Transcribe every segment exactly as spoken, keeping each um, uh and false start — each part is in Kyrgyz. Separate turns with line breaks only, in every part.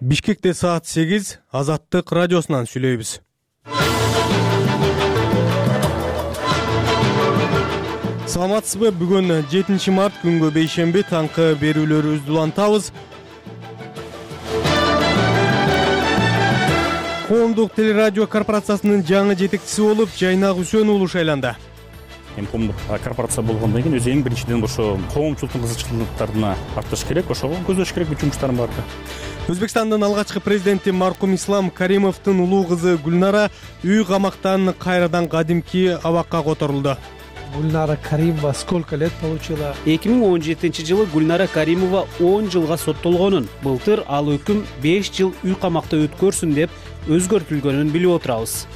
Бишкекте саат сегиз, Азаттык радиосунан сүйлөйбүз. Саламатсызбы? Бүгүн жетинчи март күнгө бейшемби таңкы берүүлөрүбүздү улантабыз. Коомдук телерадио корпорациясынын жаңы жетекчиси болуп Жайнак Үсөн уулу шайланды.
Эми коомдук корпорация болгондон кийин өзү эң биринчиден ошо коомчулуктун кызыкчылыктарына артыш керек, ошого көздөш керек бүт жумуштарым бар.
Өзбекстандын алгачкы президенти маркум Ислам Каримовдун улуу кызы Гүлнара үй камактан кайрадан кадимки абакка которулду.
Гульнара Каримова сколько лет получила?
эки миң он жетинчи жылы Гульнара Каримова он жылга соттолгонун, былтыр ал өкүм беш жыл үй камакта өткөрсүн деп өзгөртүлгөнүн билип отурабыз.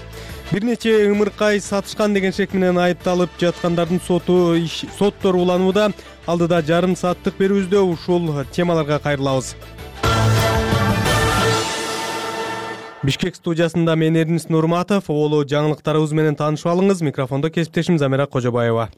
Бир нече ымыркай сатышкан деген шек менен айыпталып жаткандардын соту соттор уланууда. Алдыда жарым сааттык берүүбүздө ушул темаларга кайрылабыз. Бишкек студиясында мен Эрнис Нурматов, оолу жаңылыктарыбыз менен таанышып алыңыз. Микрофондо кесиптешим Замира Кожобаева.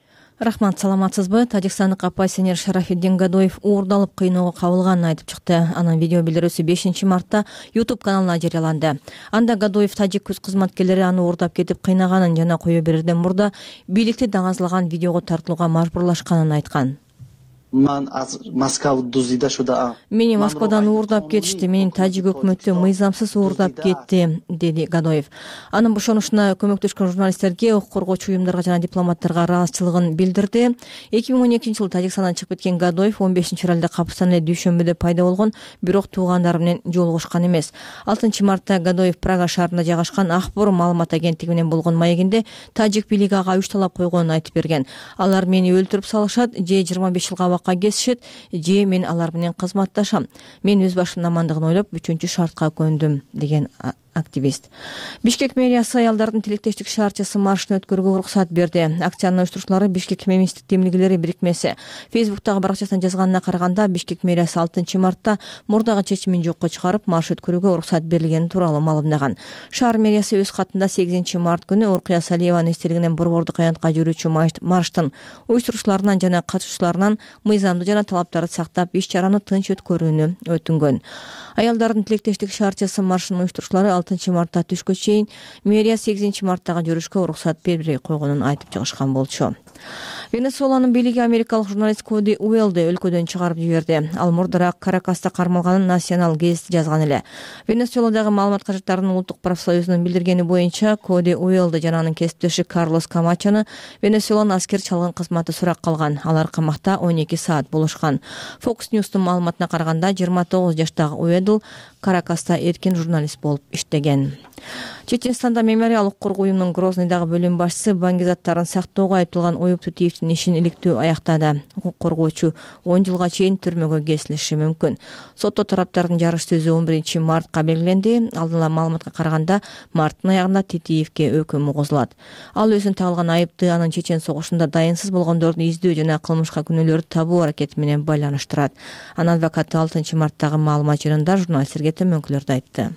Рахмат, саламатсызбы? Тажикстандык оппозиционер Шарафиддин Гадоев уурдалып кыйноого кабылганын айтып чыкты. Анын видео билдирүүсү бешинчи мартта YouTube каналына жарыяланды. Анда Гадоев тажик күз кызматкерлери аны уурдап кетип кыйнаганын жана кое берерден мурда бийликти даңазалаган видеого тартылууга мажбурлашканын айткан. Мени Москвадан уурдап кетишти, менин тажик өкмөтү мыйзамсыз уурдап кетти, деди Гадоев. Анын бошонушуна көмөктөшкөн журналисттерге, укук коргоочу уюмдарга жана дипломаттарга ыраазычылыгын билдирди. эки миң он экинчи жылы Тажикстандан чыгып кеткен Гадоев он бешинчи февралда капыстан эле дүйшөмбүдө пайда болгон, бирок туугандары менен жолугушкан эмес. алтынчы мартта Гадоев Прага шаарында жайгашкан Акбор маалымат агенттиги менен болгон маегинде тажик бийлиги ага үч талап койгонун айтып берген. Алар мени өлтүрүп салышат, же жыйырма беш жылга кесишет, же мен алар менен кызматташам. Мен өз башымдын амандыгын ойлоп үчүнчү шартка көндүм, деген активист. Бишкек мэриясы аялдардын тилектештик шаарчасы маршын өткөрүүгө уруксат берди. Акциянын уюштуруучулары Бишкек феминисттик демилгелери бирикмеси. Фейсбуктагы баракчасынан жазганына караганда, Бишкек мэриясы алтынчы мартта мурдагы чечимин жокко чыгарып, марш өткөрүүгө уруксат берилгени тууралуу маалымдаган. Шаар мэриясы өз катында сегизинчи март күнү Уркуя Салиеванын эстелигинен борбордук аянтка жүрүүчү марштын уюштуруучуларынан жана катышуучуларынан мыйзамды жана талаптарды сактап, иш чараны тынч өткөрүүнү өтүнгөн. Аялдардын тилектештик шаарчасы маршынын уюштуруучулары алтынчы мартта түшкө чейин мэрия сегизинчи марттагы жүрүшкө уруксат бербей койгонун айтып чыгышкан болчу. Венесуэланын бийлиги америкалык журналист Коди Уэллди өлкөдөн чыгарып жиберди. Ал мурдараак Каракаста кармалганын Национал гезити жазган эле. Венесуэладагы маалымат кажеттарынын улуттук профсоюзунун билдиргени боюнча, Коди Уэллди жана анын кесиптеши Карлос Камачону Венесуэланын аскер чалгын кызматы сурак калган. Алар камакта он эки саат болушкан. Fox News'тун маалыматына караганда, жыйырма тогуз жаштагы Уэллди Каракаста эркин журналист болуп иштеген. Чеченстанда мемориалдык коргоо уюмунун Грознойдагы бөлүм башчысы баңги заттарын сактоого айыпталган Оюп Тутиевдин ишин иликтөө аяктады. Укук коргоочу он жылга чейин түрмөгө кесилиши мүмкүн. Сотто тараптардын жарыш сөзү он биринчи мартка белгиленди. Алдын ала маалыматка караганда, марттын аягында Тутиевге өкүм угузулат. Ал өзүн тагылган айыпты анын чечен согушунда дайынсыз болгондорду издөө жана кылмышка күнөөлөрдү табуу аракети менен байланыштырат. Анын адвокаты алтынчы марттагы маалымат жыйынында журналисттерге төмөнкүлөрдү айтты.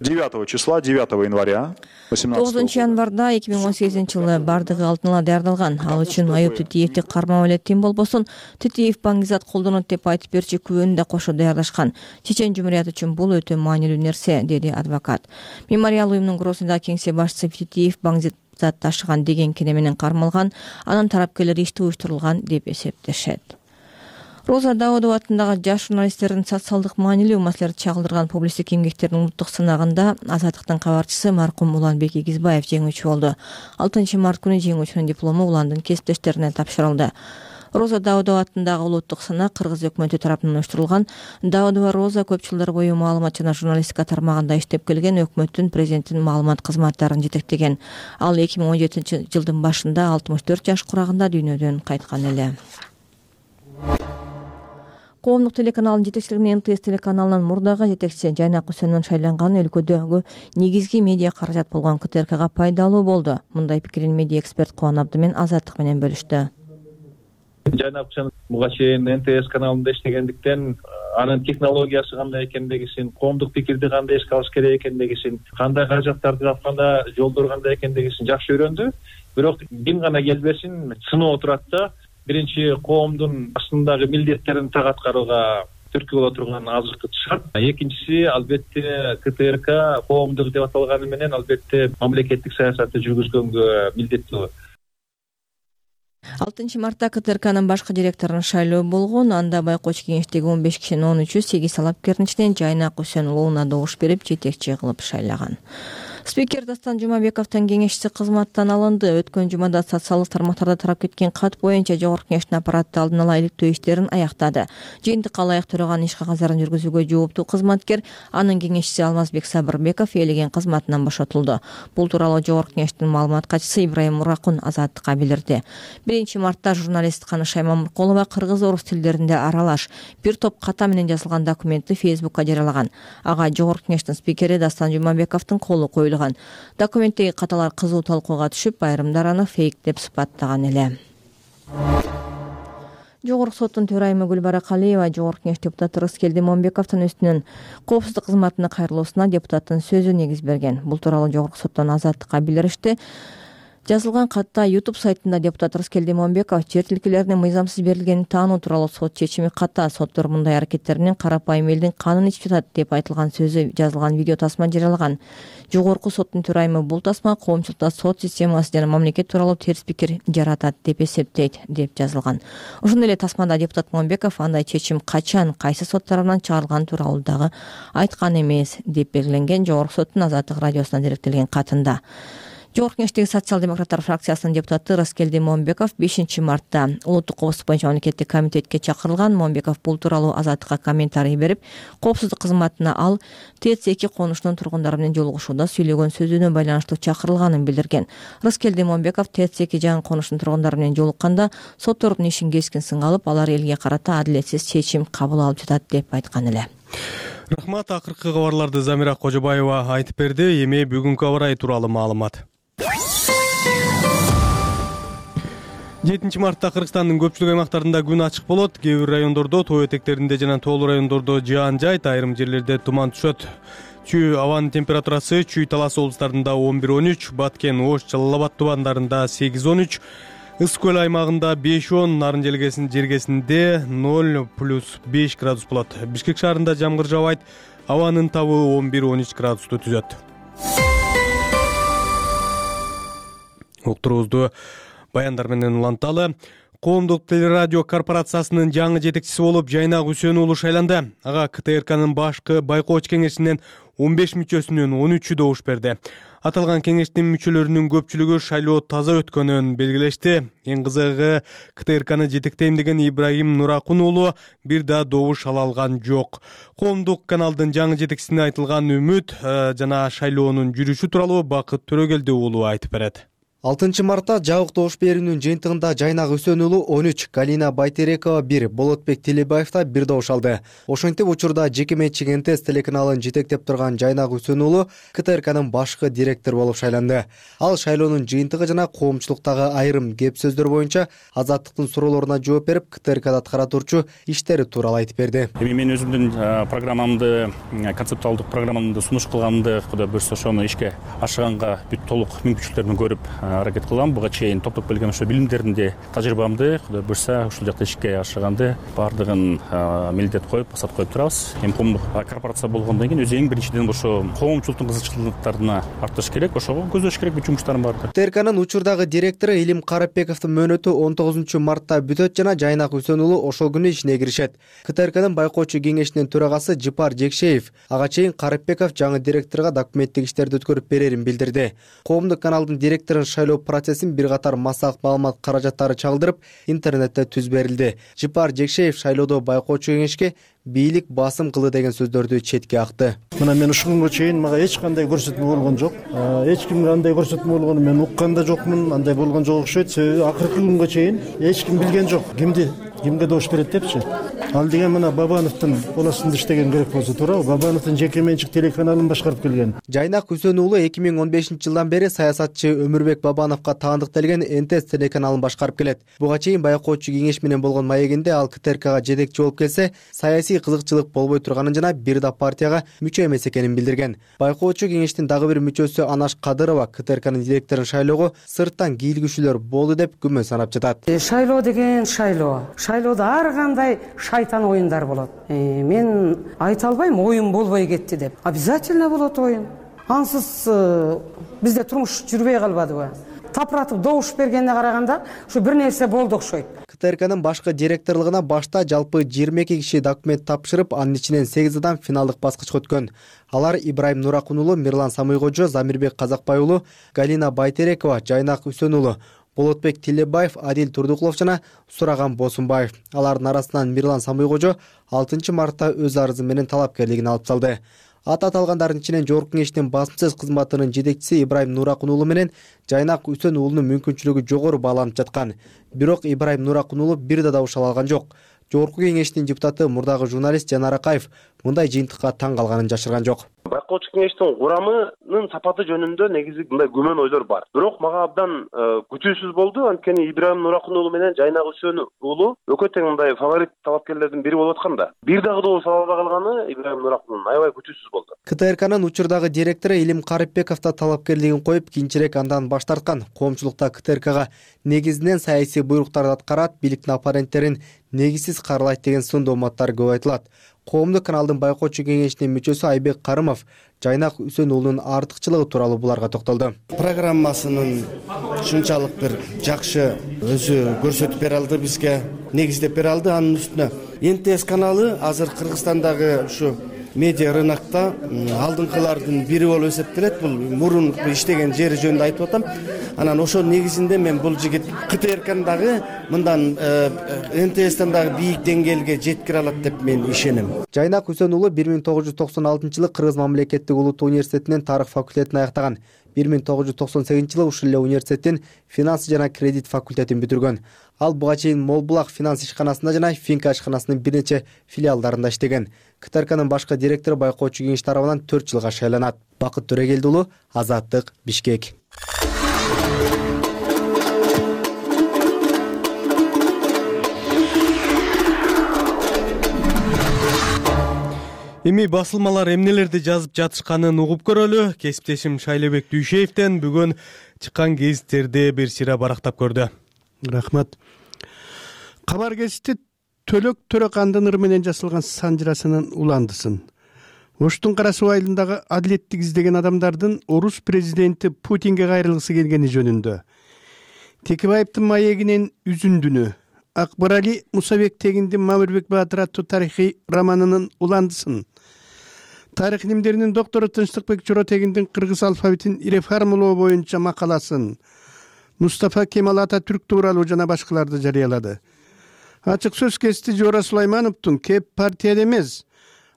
девятого числа, девятого января
тогузунчу январда эки миң он сегизинчи жылы бардыгы алдын ала даярдалган. Ал үчүн Аюп Тутиевди кармап эле тим болбосун, Тутиев баңгизат колдонот деп айтып берчи күбөнү да кошо даярдашкан. Чечен жумурияты үчүн бул өтө маанилүү нерсе, деди адвокат. Мемориал уюмунун Грознойдагы кеңсе башчысы Тутиев баңгизат ташыган деген кене менен кармалган, анын тарапкерлери ишти уюштурулган деп эсептешет. Роза Даудова атындагы жаш журналисттердин социалдык маанилүү маселелерди чагылдырган публисттик эмгектердин улуттук сынагында Азаттыктын кабарчысы маркум Уланбек Игизбаев жеңүүчү болду. алтынчы март күнү жеңүүчүнүн диплому Уландын кесиптештерине тапшырылды. Роза Даудова атындагы улуттук сынак Кыргыз өкмөтү тарабынан уюштурулган. Даудова Роза көп жылдар бою маалымат жана журналистика тармагында иштеп келген, өкмөттүн президенттин маалымат кызматтарын жетектеген. Ал эки миң он жетинчи жылдын башында алтымыш төрт жаш курагында дүйнөдөн кайткан эле. Коомдук телеканалдын жетекчилигине Н Т С телеканалынын мурдагы жетекчиси Жайнак Үсөнүн шайланганы өлкөдөгү негизги медиа каражат болгон К Т Р Кга пайдалуу болду. Мындай пикирин медиа эксперт Кубан Абдымен Азаттык менен бөлүштү.
Жайнак Үсөн буга чейин Н Т С каналында иштегендиктен анын технологиясы кандай экендигин, коомдук пикирди кандай эске алыш керек экендигин, кандай каражаттарды тапканда жолдор кандай экендигин жакшы үйрөндү. Бирок ким гана келбесин сыноо турат да, биринчи коомдун астындагы милдеттерин так аткарууга түрткү боло турган азыркы шарт. Экинчиси албетте КТРК коомдук деп аталганы менен албетте мамлекеттик саясатты жүргүзгөнгө милдеттүү.
алтынчы мартта КТРКнын башкы директорунун шайлоо болгон. Анда байкоочу кеңештеги он беш кишинин он үчү сегиз талапкердин içинен Жайнак Үсөн уулуна добуш берип жетекчи кылып шайлаган. Спикер Дастан Жумабековдун кеңешчиси кызматтан алынды. Өткөн жумада социалдык тармактарда тарап кеткен кат боюнча жогорку кеңештин аппараты алдын ала иликтөө иштерин аяктады. Жыйынтыкка ылайык төрөган иш кагаздарын жүргүзүүгө жооптуу кызматкер, анын кеңешчиси Алмазбек Сабырбеков ээлеген кызматынан бошотулду. Бул тууралуу жогорку кеңештин маалымат катчысы Ибраим Муракун Азаттыкка билдирди. биринчи мартта журналист Каныш Аймамуркулова кыргыз-орус тилдеринде аралаш бир топ ката менен жазылган документти Фейсбукка жарыялаган. Ага жогорку кеңештин спикери Дастан Жумабековдун колу коюлган. Документтеги каталар кызуу талкууга түшүп, айрымдар аны фейк деп сыпаттаган эле. Жогорку соттун төрайымы Гүлбара Калиева жогорку кеңеш депутаты Рыскелди Момбековдун үстүнөн коопсуздук кызматына кайрылуусуна депутаттын сөзү негиз берген. Бул тууралуу жогорку соттон Азаттыкка билдиришти. Жазылган катта YouTube сайтында депутат Рыскелди Момбеков жер тилкелерине мыйзамсыз берилгенин таануу тууралуу сот чечими ката, соттор мындай аракеттер менен карапайым элдин канын ичип жатат деп айтылган сөзү жазылган видео тасма жарыялаган. Жогорку соттун төрайымы бул тасма коомчулукта сот системасы жана мамлекет тууралуу терс пикир жаратат деп эсептейт деп жазылган. Ошондой эле тасмада депутат Момбеков андай чечим качан, кайсы сот тарабынан чыгарылган тууралуу дагы айткан эмес деп белгиленген жогорку соттун Азаттык радиосуна даректелген катында. Жогорку кеңештеги социал-демократтар фракциясынын депутаты Рыскелди Момбеков бешинчи мартта улуттук коопсуздук боюнча мамлекеттик комитетке чакырылган. Момбеков бул тууралуу Азаттыкка комментарий берип, коопсуздук кызматына ал ТЭЦ эки конушунун тургундары менен жолугушууда сүйлөгөн сөзүнө байланыштуу чакырылганын билдирген. Рыскелди Момбеков ТЭЦ эки жаңы конушунун тургундары менен жолукканда соттордун ишин кескин сынга алып, алар элге карата адилетсиз чечим кабыл алып жатат деп айткан эле.
Рахмат. Акыркы кабарларды Замира Кожобаева айтып берди. Эми бүгүнкү аба ырайы тууралуу маалымат. жетинчи мартта Кыргызстандын көпчүлүк аймактарында күн ачык болот. Кээ бир райондордо, тоо этектеринде жана тоолуу райондордо жаан жайт, айрым жерлерде туман түшөт. Чүй абанын температурасы Чүй Талас облустарында он бир он үч, Баткен, Ош, Жалал Абад тубандарында сегиз он үч, Ысык көл аймагында беш он, Нарын жергесинде ноль плюс беш градус болот. Бишкек шаарында жамгыр жаабайт, абанын табы он бир он үч градусту түзөт. Уктуруубузду баяндар менен уланталы. Коомдук телерадио корпорациясынын жаңы жетекчиси болуп Жайнак Үсөн уулу шайланды. Ага КТРКнын башкы байкоочу кеңешинен он беш мүчөсүнөн он үчү добуш берди. Аталган кеңештин мүчөлөрүнүн көпчүлүгү шайлоо таза өткөнүн белгилешти. Эң кызыгы КТРКны жетектейм деген Ибраим Нуракун уулу бир да добуш ала алган жок. Коомдук каналдын жаңы жетекчисине айтылган үмүт жана шайлоонун жүрүшү тууралуу Бакыт Төрөгелди уулу айтып берет.
алтынчы мартта жабык добуш берүүнүн жыйынтыгында Жайнак Үсөн уулу он үч, Галина Байтерекова бир, Болотбек Телебаев да бир добуш алды. Ошентип учурда жеке менчик эн тэ эс телеканалын жетектеп турган Жайнак Үсөн уулу КТРКнын башкы директор болуп шайланды. Ал шайлоонун жыйынтыгы жана коомчулуктагы айрым кеп сөздөр боюнча Азаттыктын суроолоруна жооп берип, КТРКда аткара турчу иштери тууралуу айтып берди.
Эми мен өзүмдүн программамды, концептуалдык программамды сунуш кылганымды, Кудай буйрса ошону ишке ашыганга бүт толук мүмкүнчүлүктөрүн көрүп аракет кылгам. Буга чейин топтоп келген ошо билимдеримди, тажрыйбамды Кудай буйрса ушул жакта ишке ашыганды баардыгын милдет коюп, басат коюп турабыз. Эми коомдук корпорация болгондон кийин өзү эң биринчиден ошо коомчулуктун кызыкчылыктарына артыш керек, ошого көздөш керек бүт жумуштарым бар.
КТРКнын учурдагы директору Илим Карапбековдун мөөнөтү он тогузунчу мартта бүтөт жана Жайнак Үсөн уулу ошол күнү ишине киришет. КТРКнын байкоочу кеңешинин төрагасы Жыпар Жекшеев ага чейин Карапбеков жаңы директорго документтик иштерди өткөрүп берерин билдирди. Коомдук каналдын директорун шайлоо процессин бир катар массалык маалымат каражаттары чалдырып, интернетте түз берилди. Жыпар Жекшеев шайлоодо байкоочу кеңешке бийлик басым кылды деген сөздөрдү четке акты.
Мына мен ушул күнгө чейин мага эч кандай көрсөтмө болгон жок. Эч кимге андай көрсөтмө болгонун мен уккан да жокмун, андай болгон жок окшойт. Себеби акыркы күнгө чейин эч ким билген жок. Кимди кимге добуш берет депчи. Ал деген мына Бабановдун полосунда иштеген керек болсо туурабы? Бабановдун жеке менчик телеканалын башкарып келген.
Жайнак Үсөн уулу эки миң он бешинчи жылдан бери саясатчы Өмүрбек Бабановго таандык делген эн тэ эс телеканалын башкарып келет. Буга чейин байкоочу кеңеш менен болгон маегинде ал КТРКга жетекчи болуп келсе, саясий кызыкчылык болбой турганын жана бир да партияга мүчө эмес экенин билдирген. Байкоочу кеңештин дагы бир мүчөсү Анаш Кадырова КТРКнын директорун шайлоого сырттан кийлигүүчүлөр болду деп күмөн санап жатат.
Шайлоо деген шайлоо. шайлоодо ар кандай шайтан оюндар болот. Мен айта албайм оюн болбой кетти деп. Обязательно болот оюн. Ансыз бизде турмуш жүрбөй калбадыбы? Тапыратып добуш бергенине караганда ушу бир нерсе болду окшойт.
КТРКнын башкы директорлугуна башта жалпы жыйырма эки киши документ тапшырып, анын ичинен сегиз адам финалдык баскычка өткөн. Алар Ибрайым Нуракун уулу, Мирлан Самыйкожо, Замирбек Казакбай уулу, Галина Байтерекова, Жайнак Үсөн уулу, Болотбек Тилебаев, Адил Турдукулов жана Сураган Босунбаев. Алардын арасынан Мирлан Самыйкожо алтынчы мартта өз арызы менен талапкерлигин алып салды. Аты аталгандардын ичинен Жогорку Кеңештин басымсыз кызматынын жетекчиси Ибрайым Нуракун уулу менен Жайнак Үсөн уулунун мүмкүнчүлүгү жогору бааланып жаткан. Бирок Ибрайым Нуракун уулу бир да добуш ала алган жок. Жогорку Кеңештин депутаты, мурдагы журналист Жанар Акаев мындай жыйынтыкка таң калганын жашырган жок.
Байкоочу кеңештин курамынын сапаты жөнүндө негизи мындай күмөн ойлор бар. Бирок мага абдан күтүүсүз болду, анткени Ибрайым Нуракун уулу менен Жайнак Үсөн уулу экөө тең мындай фаворит талапкерлердин бири болуп атканда, бир дагы добуш ала албай калганы Ибрайым Нуракундун аябай күтүүсүз болду.
КТРКнын учурдагы директору Илим Карипбеков да талапкерлигин коюп, кийинчерээк андан баш тарткан. Коомчулукта КТРКга негизинен саясий буйруктарды аткарат, бийликтин оппоненттерин негизсиз каралайт деген сын дооматтар көп айтылат. Коомдук каналдын Байкоочу кеңешинин мүчөсү Айбек Карымов Жайнак Үсөн уулунун артыкчылыгы тууралуу буларга токтолду.
Программасынын ушунчалык бир жакшы өзү көрсөтүп бере алды бизге, негиздеп бере алды. Анын үстүнө эн тэ эс каналы азыр Кыргызстандагы ушу медиа рынокто алдыңкылардын бири болуп эсептелет. Бул мурун иштеген жери жөнүндө айтып атам. Анан ошо негизинде мен бул жигит КТРКны дагы мындан эн тэ эстен дагы бийик деңгээлге жеткире алат деп мен ишенем.
Жайнак Үсөн уулу бир миң тогуз жүз токсон алтынчы жылы Кыргыз мамлекеттик улуттук университетинен тарых факультетин аяктаган. бир миң тогуз жүз токсон сегизинчи жылы ушул эле университеттин финанс жана кредит факультетин бүтүргөн. Ал буга чейин Молбулак финанс ишканасында жана Финка ишканасынын бир нече филиалдарында иштеген. КТРКнын башкы директору Байкоочу кеңеш тарабынан төрт жылга шайланат. Бакыт Төрегелди уулу, Азаттык, Бишкек.
Эми басылмалар эмнелерди жазып жатышканын угуп көрөлү. Кесиптешим Шайлебек Дүйшеевден бүгүн чыккан гезиттерди бир сыйра барактап көрдү.
Рахмат. Кабар гезити Төлөк Төрөкандын ыр менен жасалган санжырасынын уландысын. Оштун кара суу айылындагы адилеттик издеген адамдардын орус президенти Путинге кайрылгысы келгени жөнүндө. Текебаевдин маегинен үзүндүнү, Акбарали Мусабек тегиндин Мамырбек Баатыр аттуу тарыхый романынын уландысын. Тарых илимдеринин доктору Тынчтыкбек Жора тегиндин кыргыз алфавитин реформалоо боюнча макаласын Мустафа Кемал Ататүрк тууралуу жана башкаларды жарыялады. Ачык сөз кести Жора Сулаймановдун кеп партияда эмес,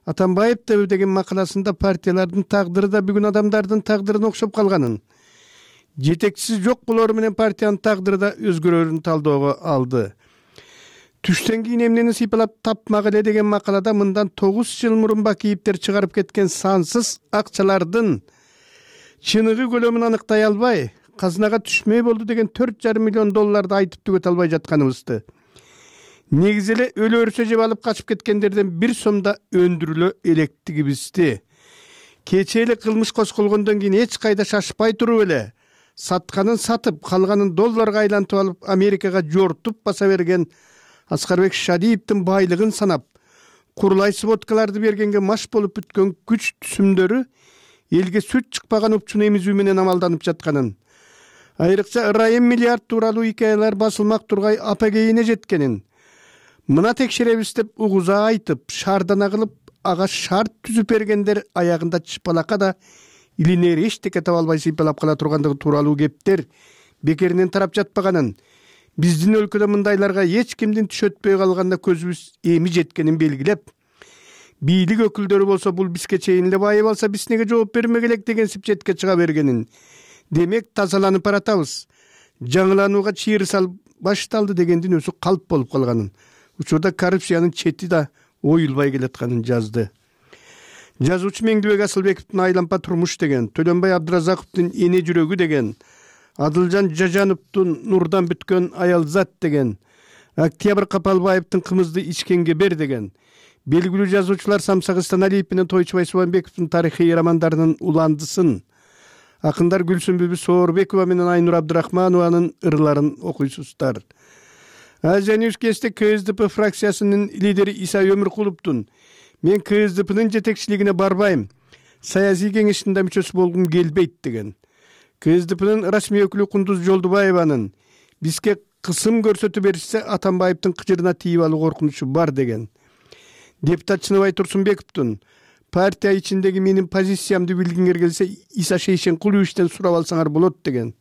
Атамбаевдер деген макаласында партиялардын тагдыры да бүгүн адамдардын тагдырына окшоп калганын, жетекчиси жок болору менен партиянын тагдыры да өзгөрөрүн талоого алды. Түштөн кийин эмнени сыйпалап тапмак эле деген макалада мындан тогуз жыл мурун Бакиевдер чыгарып кеткен сансыз акчалардын чыныгы көлөмүн аныктай албай, казынага түшмөй болду деген төрт жарым миллион долларды айтып түгөтө албай жатканыбызды. Негизи эле өлө өрсө жеп алып качып кеткендерден бир сом да өндүрүлө электигибизди. Кечээ эле кылмыш козголгондон кийин эч кайда шашпай туруп эле сатканын сатып, калганын долларга айлантып алып Америкага жортуп баса берген Аскарбек Шадиевдин байлыгын санап, курулай сводкаларды бергенге маш болуп бүткөн күч түсүмдөрү элге сүт чыкпаган упчуну эмизүү менен амалданып жатканын, айрыкча ырайым миллиард тууралуу икаялар басылмак тургай апагейине жеткенин, мына текшеребиз деп угуза айтып, шаардана кылып, ага шарт түзүп бергендер аягында чыпалакка да илинери эчтеке таба албай сыйпалап кала тургандыгы тууралуу кептер бекеринен тарап жатпаганын, биздин өлкөдө мындайларга эч кимдин түш өтпөй калганда көзүбүз эми жеткенин белгилеп, бийлик өкүлдөрү болсо бул бизге чейин эле байып алса биз неге жооп бермек элек деген сипчетке чыга бергенин, демек тазаланып баратабыз, жаңыланууга чыйыр салып башталды дегендин өзү калп болуп калганын, учурда коррупциянын чети да оюлбай келатканын жазды. Жазуучу Меңдибек Асылбековдун Айлампа турмуш деген, Төлөнбай Абдыразаковдун Эне жүрөгү деген, Адылжан Жажановдун Нурдан бүткөн аялзат деген, Октябрь Капалбаевдин Кымызды ичкенге бер деген, белгилүү жазуучулар Самсак Станалиев менен Тойчубай Субанбековдун тарыхый романдарынын уландысын, акындар Гүлсүмбүбү Соорбекова менен Айнур Абдырахманованын ырларын окуйсуздар. Азия Ньюс кесте КСДП фракциясынын лидери Иса Өмүркуловдун мен КСДПнын жетекчилигине барбайм, саясий кеңештин да мүчөсү болгум келбейт деген. КСДПнын расмий өкүлү Кундуз Жолдубаеванын бизге кысым көрсөтүп беришсе Атамбаевдин кыжырына тийип алуу коркунучу бар деген. Депутат Чыныбай Турсунбековдун партия ичиндеги менин позициямды билгиңер келсе Иса Шейшенкуловичтен сурап алсаңар болот деген.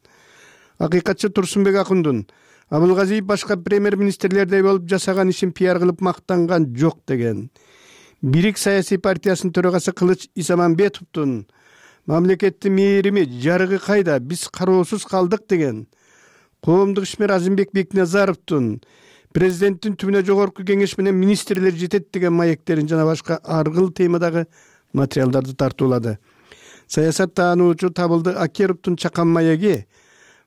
Акыйкатчы Турсунбек Акундун Абылгазиев башка премьер-министрлердей болуп жасаган ишин пиар кылып мактанган жок деген. Бирик саясий партиясынын төрагасы Кылыч Исамамбетовдун мамлекеттин мээрими жарыгы кайда, биз кароосуз калдык деген. Коомдук ишмер Азимбек Бекназаровдун президенттин түбүнө жогорку кеңеш менен министрлер жетет деген маектерин жана башка аргыл темадагы материалдарды тартуулады. Саясат таануучу Табылды Акеровдун чакан маеги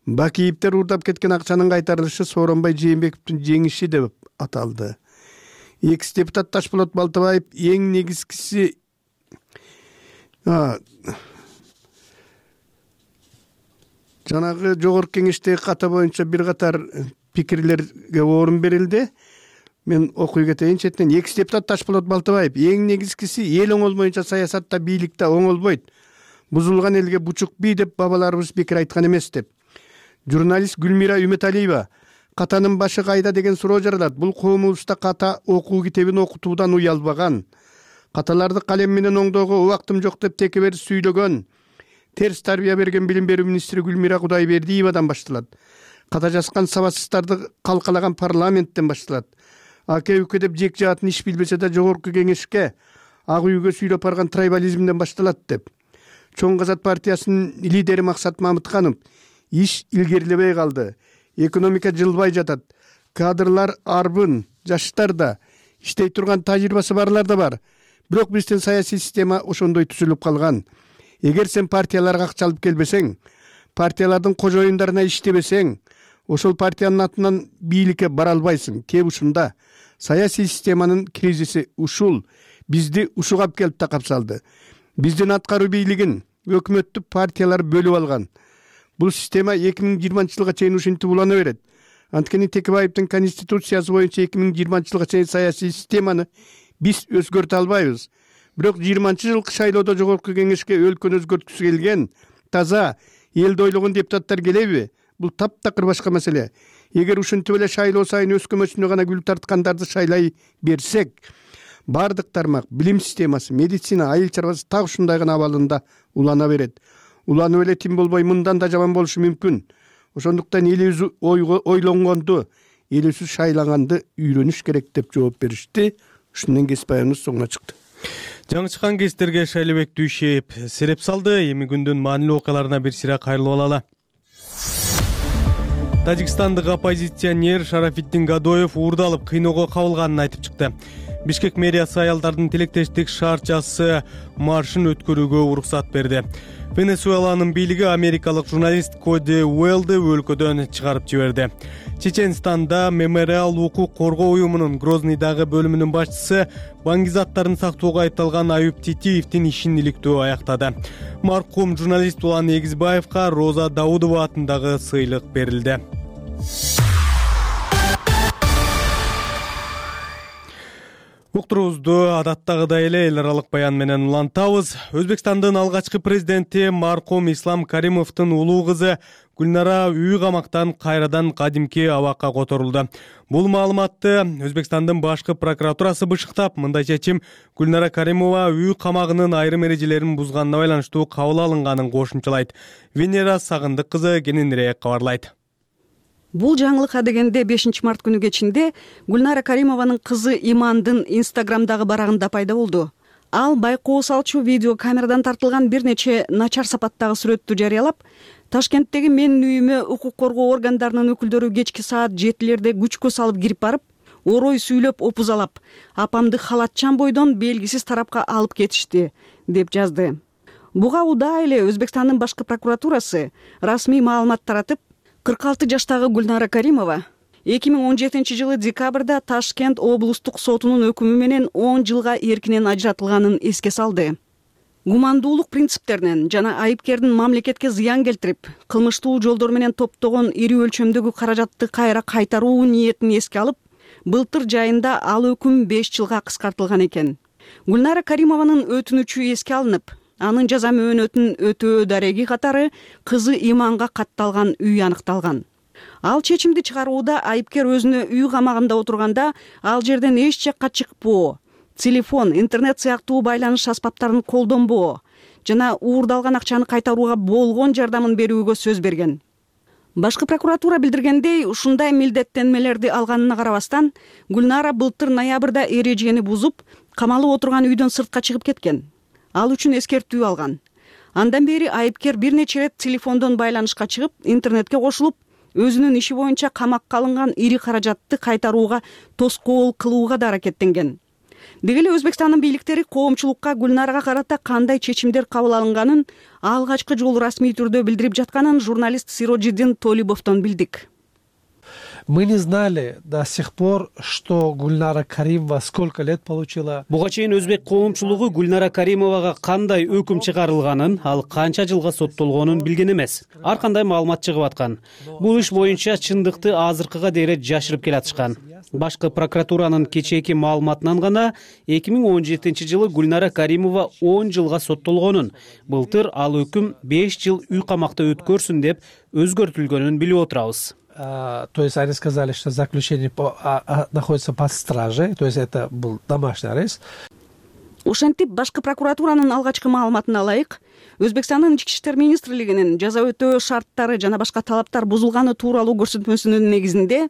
Бакиевдер уурдап кеткен акчанын кайтарылышы Сооронбай Жээнбековдун жеңиши деп аталды. Экс депутат Ташболот Балтабаев эң негизгиси жанагы жогорку кеңештеги ката боюнча бир катар пикирлерге орун берилди. Мен окуй кетейин четинен. Экс депутат Ташболот Балтабаев эң негизгиси эл оңолмоюнча саясатта, бийликте оңолбойт. Бузулган элге бучук бий деп бабаларыбыз бекер айткан эмес деп. Журналист Гүлмира Үмөталиева катанын башы кайда деген суроо жаралат. Бул коомубузда ката окуу китебин окутуудан уялбаган, каталарды калем менен оңдоого убактым жок деп текебер сүйлөгөн, терс тарбия берген билим берүү министри Гүлмира Кудайбердиевадан башталат. Ката жазган сабатсыздарды калкалаган парламенттен башталат. Аке үкө деп жек жаатын иш билбесе да жогорку кеңешке ак үйгө сүйлөп барган трайбализмден башталат деп. Чоң Казат партиясынын лидери Максат Мамытканов иш илгерилебей калды. Экономика жылбай жатат. Кадрлар арбын, жаштар да, иштей турган тажрыйбасы барлар да бар. Бирок биздин саясий система ошондой түзүлүп калган. Эгер сен партияларга акча алып келбесең, партиялардын кожоюндарына иштебесең, ошол партиянын атынан бийликке бара албайсың. Кеп ушунда саясий системанын кризиси ушул бизди ушуга келип такап салды. Биздин аткаруу бийлигин өкмөттүк партиялар бөлүп алган. Бул система эки миң жыйырманчы жылга чейин ушинтип улана берет. Анткени Текебаевдин конституциясы боюнча эки миң жыйырманчы жылга чейин саясий системаны биз өзгөртө албайбыз. Бирок жыйырманчы жылкы шайлоодо жогорку кеңешке өлкөнү өзгөрткүсү келген, таза, элди ойлогон депутаттар келеби? Бул таптакыр башка маселе. Эгер ушинтип эле шайлоо сайын өз көмөчүнө гана гүл тарткандарды шайлай берсек, бардык тармак, билим системасы, медицина, айыл чарбасы так ушундай гана абалында улана берет. Уланып эле тим болбой мындан да жаман болушу мүмкүн. Ошондуктан элибиз ойлонгонду, элибиз шайлаганды үйрөнүш керек деп жооп беришти. Ушундан кесип аябыбыз соңуна чыкты.
Жаңы чыккан кестерге Шайлыбек Дүйшеев сереп салды. Эми күндүн маанилүү окуяларына бир сыйра кайрылып алалы. Тажикстандык оппозиционер Шарафиддин Гадоев уурдалып кыйноого кабылганын айтып чыкты. Бишкек мэриясы аялдардын тилектештик шаарчасы маршын өткөрүүгө уруксат берди. Венесуэланын бийлиги америкалык журналист Коди Уэллди өлкөдөн чыгарып жиберди. Чеченстанда Мемориал укук коргоо уюмунун Грознийдагы бөлүмүнүн башчысы баңгизаттарын сактоого айыпталган Аюп Титиевдин ишин иликтөө аяктады. Маркум журналист Улан Эгизбаевга Роза Даудова атындагы сыйлык берилди. Уктуруубузду адаттагыдай эле эл аралык баян менен улантабыз. Өзбекстандын алгачкы президенти маркум Ислам Каримовдун улуу кызы Гүлнара үй камактан кайрадан кадимки абакка которулду. Бул маалыматты Өзбекстандын башкы прокуратурасы бышыктап, мындай чечим Гүлнара Каримова үй камагынын айрым эрежелерин бузганына байланыштуу кабыл алынганын кошумчалайт. Венера Сагындык кызы кененирээк кабарлайт.
Бул жаңылык адегенде бешинчи март күнү кечинде Гүлнара Каримованын кызы Имандын Инстаграмдагы барагында пайда болду. Ал байкоо салчу видео камерадан тартылган бир нече начар сапаттагы сүрөттү жарыялап, Ташкенттеги менин үйүмө укук коргоо органдарынын өкүлдөрү кечки саат жетилерде күчкө салып кирип барып, орой сүйлөп опузалап, апамды халатчан бойдон белгисиз тарапка алып кетишти, деп жазды. Буга удаа эле Өзбекстандын башкы прокуратурасы расмий маалымат таратып, кырк алты жаштагы Гүлнара Каримова эки миң он жетинчи жылы декабрда Ташкент облустук сотунун өкүмү менен он жылга эркинен ажыратылганын эске салды. гумандуулук принциптеринен жана айыпкердин мамлекетке зыян келтирип, кылмыштуу жолдор менен топтогон ири өлчөмдөгү каражатты кайра кайтаруу ниетин эске алып, былтыр жайында ал өкүм беш жылга кыскартылган экен. Гүлнара Каримованын өтүнүчү эске алынып, анын жаза мөөнөтүн өтөө дареги катары кызы Иманга катталган үй аныкталган. Ал чечимди чыгарууда айыпкер өзүнө үй камагында отурганда ал жерден эч жакка чыкпоо, телефон, интернет сыяктуу байланыш аспаптарын колдонбоо жана уурдалган акчаны кайтарууга болгон жардамын берүүгө сөз берген. Башкы прокуратура билдиргендей, ушундай милдеттенмелерди алганына карабастан, Гүлнара былтыр ноябрда эрежени бузуп, камалып отурган үйдөн сыртка чыгып кеткен. Ал үчүн эскертүү алган. Андан бери айыпкер бир нече рет телефондон байланышка чыгып, интернетке кошулуп, өзүнүн иши боюнча камакка алынган ири каражатты кайтарууга тоскоол кылууга да аракеттенген. Деги эле Өзбекстандын бийликтери коомчулукка Гүлнарага карата кандай чечимдер кабыл алынганын алгачкы жолу расмий түрдө билдирип жатканын журналист Сироджиддин Толибовдон билдик.
Мы не знали до сих пор, что Гульнара Каримова сколько лет получила.
Буга чейин өзбек коомчулугу Гүлнара Каримовага кандай өкүм чыгарылганын, ал канча жылга соттолгонун билген эмес. Ар кандай маалымат чыгып аткан. Бул иш боюнча чындыкты азыркыга дейре жашырып келатышкан. Башкы прокуратуранын кечээки маалыматынан гана эки миң он жетинчи жылы Гүлнара Каримова он жылга соттолгонун, былтыр ал өкүм беш жыл үй камакта өткөрсүн деп өзгөртүлгөнүн билип отурабыз.
То есть они сказали, что заключение по, а, а, находится под стражей, то есть это был домашний арест.
Ошентип башкы прокуратуранын алгачкы маалыматына ылайык, Өзбекстандын ички иштер министрлигинин жаза өтөө шарттары жана башка талаптар бузулганы тууралуу көрсөтмөсүнүн негизинде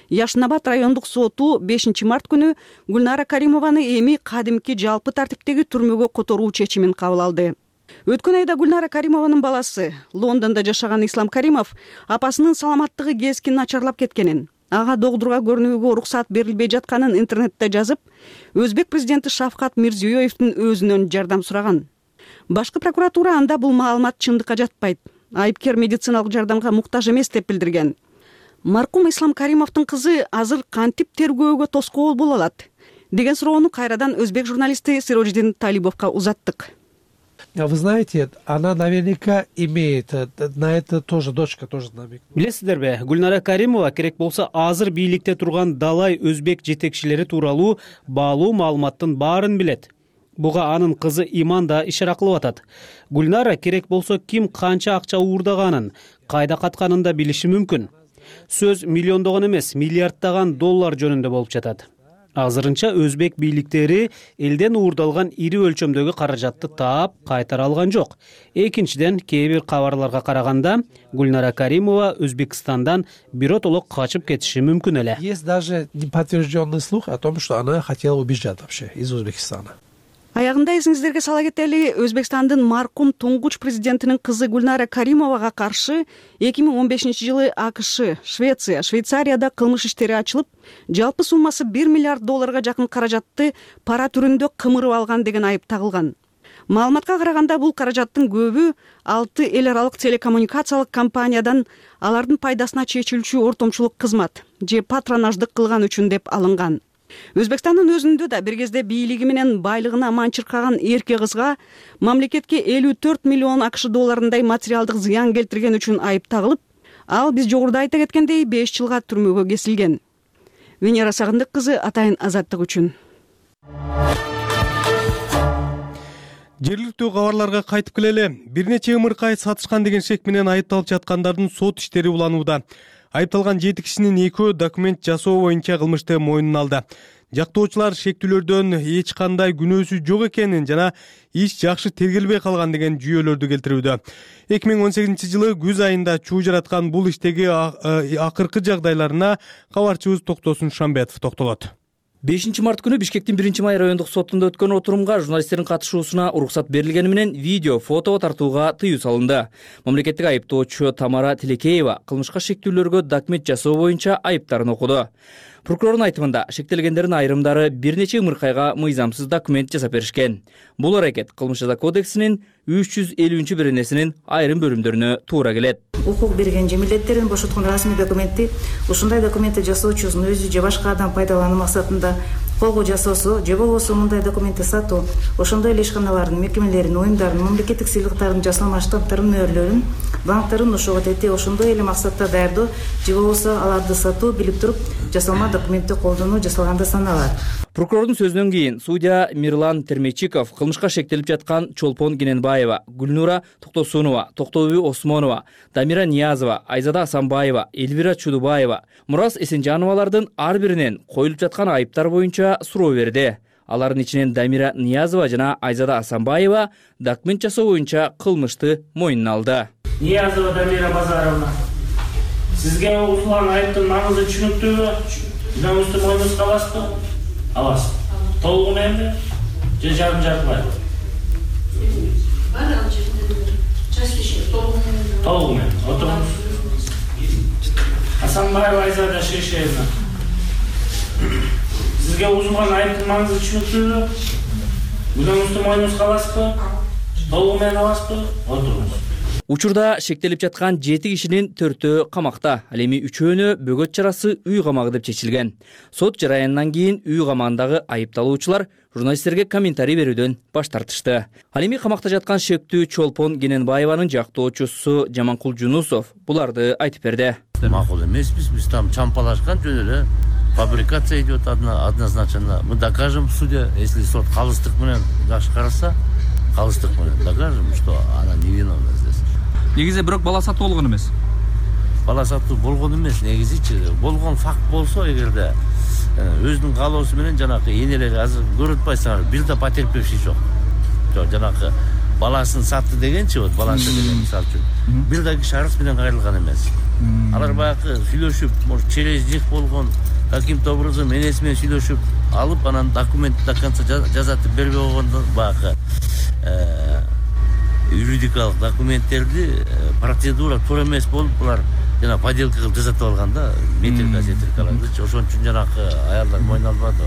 Яшнабад райондук соту бешинчи март күнү Гүлнара Каримованы эми кадимки жалпы тартиптеги түрмөгө которуу чечимин кабыл алды. Өткөн айда Гүлнара Каримованын баласы, Лондондо жашаган Ислам Каримов, апасынын саламаттыгы кескин начарлап кеткенин, ага докторго көрүнүүгө уруксат берилбей жатканын интернетте жазып, Өзбек президенти Шавкат Мирзиёевдин өзүнөн жардам сураган. Башкы прокуратура анда бул маалымат чындыкка жатпайт, айыпкер медициналык жардамга муктаж эмес деп билдирген. Маркум Ислам Каримовдун кызы азыр кантип тергөөгө тоскоол боло алат деген суроону кайрадан өзбек журналисти Сироджиддин Талибовго узаттык.
Вы знаете, она наверняка имеет, на это тоже дочка тоже намек.
Билесиздерби, Гүлнара Каримова керек болсо азыр бийликте турган далай өзбек жетекчилери тууралуу баалуу маалыматтын баарын билет. Буга анын кызы Иман да ишара кылып атат. Гүлнара керек болсо ким канча акча уурдаганын, кайда катканын да билиши мүмкүн. Сөз миллиондогон эмес, миллиарддаган доллар жөнүндө болуп жатат. Азырынча өзбек бийликтери элден уурдалган ири өлчөмдөгү каражатты таап кайтара алган жок. Экинчиден, кээ бир кабарларга караганда, Гүлнара Каримова Өзбекстандан биротолок качып кетиши мүмкүн эле.
Есть даже неподтвержденный слух о том, что она хотела убежать вообще из Узбекистана.
Аягында эсиңиздерге сала кетели, Өзбекстандын маркум туңгуч президентинин кызы Гүлнара Каримовага каршы эки миң он бешинчи жылы АКШ, Швеция, Швейцарияда кылмыш иштери ачылып, жалпы суммасы бир миллиард долларга жакын каражатты пара түрүндө кымырып алган деген айып тагылган. Маалыматка караганда бул каражаттын көбү алты эл аралык телекоммуникациялык компаниядан алардын пайдасына чечилчү ортомчулук кызмат же патронаждык кылган үчүн деп алынган. Өзбекстандын өзүндө да бир кезде бийлиги менен байлыгына манчыркаган эрке кызга мамлекетке элүү төрт миллион АКШ долларындай материалдык зыян келтирген үчүн айып тагылып, ал биз жогоруда айта кеткендей беш жылга түрмөгө кесилген. Венера Сагындык кызы, Атайын азаттык үчүн.
Жергиликтүү кабарларга кайтып келели. Бир нече ымыркай сатышкан деген шек менен айыпталып жаткандардын сот иштери уланууда. Айыпталган жети кишинин экөө документ жасоо боюнча кылмышты мойнуна алды. Жактоочулар шектүүлөрдөн эч кандай күнөөсү жок экенин жана иш жакшы тергелбей калган деген жүйөлөрдү келтирүүдө. эки миң он сегизинчи жылы күз айында чуу жараткан бул иштеги акыркы жагдайларына кабарчыбыз Токтосун Шамбетов токтолот.
бешинчи март күнү Бишкектин биринчи май райондук сотунда өткөн отурумга журналисттердин катышуусуна уруксат берилгени менен видео, фото тартууга тыюу салынды. Мамлекеттик айыптоочу Тамара Тилекеева кылмышка шектүүлөргө документ жасоо боюнча айыптарын окуду. Прокурордун айтымында шектелгендердин айрымдары бир нече ымыркайга мыйзамсыз документ жасап беришкен. Бул аракет кылмыш жаза кодексинин үч жүз элүүнчү беренесинин айрым бөлүмдөрүнө туура келет.
Укук берген же милдеттерин бошоткон расмий документти ушундай документти жасоочусунун өзү же башка адам пайдалануу максатында колго жасоосу же болбосо мындай документти сатуу ошондой эле ишканалардын, мекемелердин, уюмдардын мамлекеттик сыйлыктардын жасалма штамптарын, мөөрлөрүн банктардын ошого тети ошондой эле максатта даярдоо же болбосо аларды сатуу билип туруп жасалма документти колдонуу жасалганда саналат.
Прокурордун сөзүнөн кийин судья Мирлан Термечиков кылмышка шектелип жаткан Чолпон Кененбаева, Гүлнура Токтосунова, Токтобүй Осмонова, Дамира Ниязова, Айзада Асанбаева, Элвира Чудубаева, Мурас Эсенжановалардын ар биринен коюлуп жаткан айыптар боюнча суроо берди. Алардын ичинен Дамира Ниязова жана Айзада Асанбаева документ жасоо боюнча кылмышты мойнуна алды.
Ниязова Дамира Базаровна, сизге угулган айыптын маңызы түшүнүктүүбү? Күнөөңүздү мойнуңузга аласызбы? Аласыз. Толугу мененби же жарым жартылайбы? Толугу менен. Отуруңуз. Асанбаева Айзада Шишевна, сизге угулган айыптын маңызы түшүнүктүүбү? Күнөөңүздү мойнуңузга аласызбы? Толугу менен аласызбы? Отуруңуз.
Учурда шектелип жаткан жети кишинин төртөө камакта, ал эми үчөөнө бөгөт чарасы үй камагы деп чечилген. Сот жараянынан кийин үй камагындагы айыпталуучулар журналисттерге комментарий берүүдөн баш тартышты. Ал эми камакта жаткан шектүү Чолпон Кененбаеванын жактоочусу Жаманкул Жунусов буларды айтып берди.
Макул эмеспиз, биз там чампалашкан жөн эле фабрикация идет однозначно. Мы докажем в суде, если сот калыстык менен жакшы караса, калыстык менен докажем, что она невиновна здесь.
Негизи бирок бала сатуу болгон эмес.
Бала сатуу болгон эмес, негизичи болгон факт болсо, эгерде өзүнүн каалоосу менен жанакы энелери азыр көрүп атпайсыңар, бир да потерпевший жок. Жок, жанакы баласын сатты дегенчи, вот баласы деген мисалы үчүн, бир да киши арыз менен кайрылган эмес. Алар баягы сүйлөшүп, может, через них болгон каким-то образом энеси менен сүйлөшүп алып, анан документти до конца жазатып бербей койгондон баягы юридикалык документтерди процедура туура эмес болуп, булар жана поделка кылып жасатып алганда, метрика сетрикаларды, ошон үчүн жанакы аялдар мойнуна албады.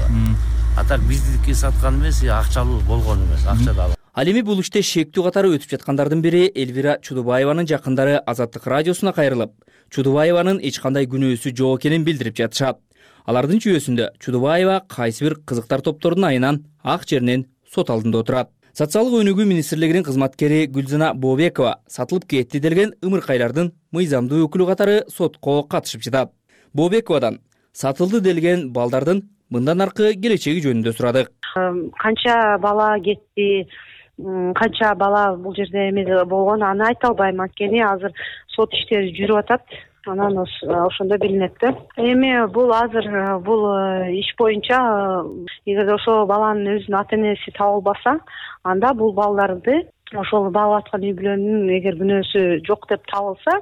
А так биздики саткан эмес, акчалуу болгон эмес, акча да.
Ал эми бул иште шектүү катары өтүп жаткандардын бири Элвира Чудубаеванын жакындары Азаттык радиосуна кайрылып, Чудубаеванын эч кандай күнөөсү жок экенин билдирип жатышат. Алардын жүйөсүндө Чудубаева кайсы бир кызыктар топтордун айынан ак жеринен сот алдында отурат. Социалдык өнүгүү министрлигинин кызматкери Гүлзана Бообекова сатылып кетти делген ымыркайлардын мыйзамдуу өкүлү катары сотко катышып жатат. Бообековадан сатылды делген балдардын мындан аркы келечеги жөнүндө сурадык.
Канча бала кетти, канча бала бул жерде эме болгон, аны айта албайм, анткени азыр сот иштери жүрүп атат. Анан ошондо билинет да. Эми бул азыр бул иш боюнча эгер ошол баланын өзүнүн ата энеси табылбаса, анда бул балдарды ошол багып аткан үй бүлөнүн эгер күнөөсү жок деп табылса,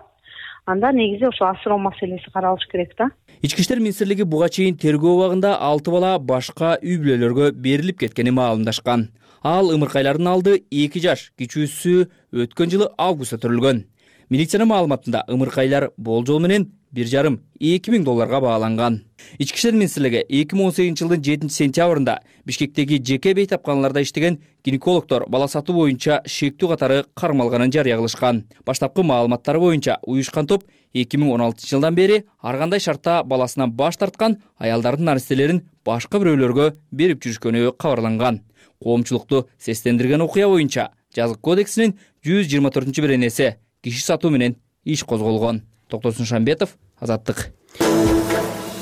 анда негизи ошо асыроо маселеси каралыш керек да.
Ички иштер министрлиги буга чейин тергөө убагында алты бала башка үй бүлөлөргө берилип кеткени маалымдашкан. Ал ымыркайлардын алды эки жаш, кичүүсү өткөн жылы августта төрүлгөн. Милициянын маалыматында ымыркайлар болжол менен бир жарым эки миң долларга бааланган. Ички иштер министрлиги эки миң он сегизинчи жылдын жетинчи сентябрында Бишкектеги жеке бейтапканаларда иштеген гинекологдор бала сатуу боюнча шектүү катары кармалганын жарыя кылышкан. Баштапкы маалыматтар боюнча уюшкан топ эки миң он алтынчы жылдан бери ар кандай шартта баласынан баш тарткан аялдардын наристелерин башка бирөөлөргө берип жүрүшкөнү кабарланган. Коомчулукту сестендирген окуя боюнча жазык кодексинин жүз жыйырма төртүнчү беренеси киши сатуу менен иш козголгон. Токтосун Шамбетов, Азаттык.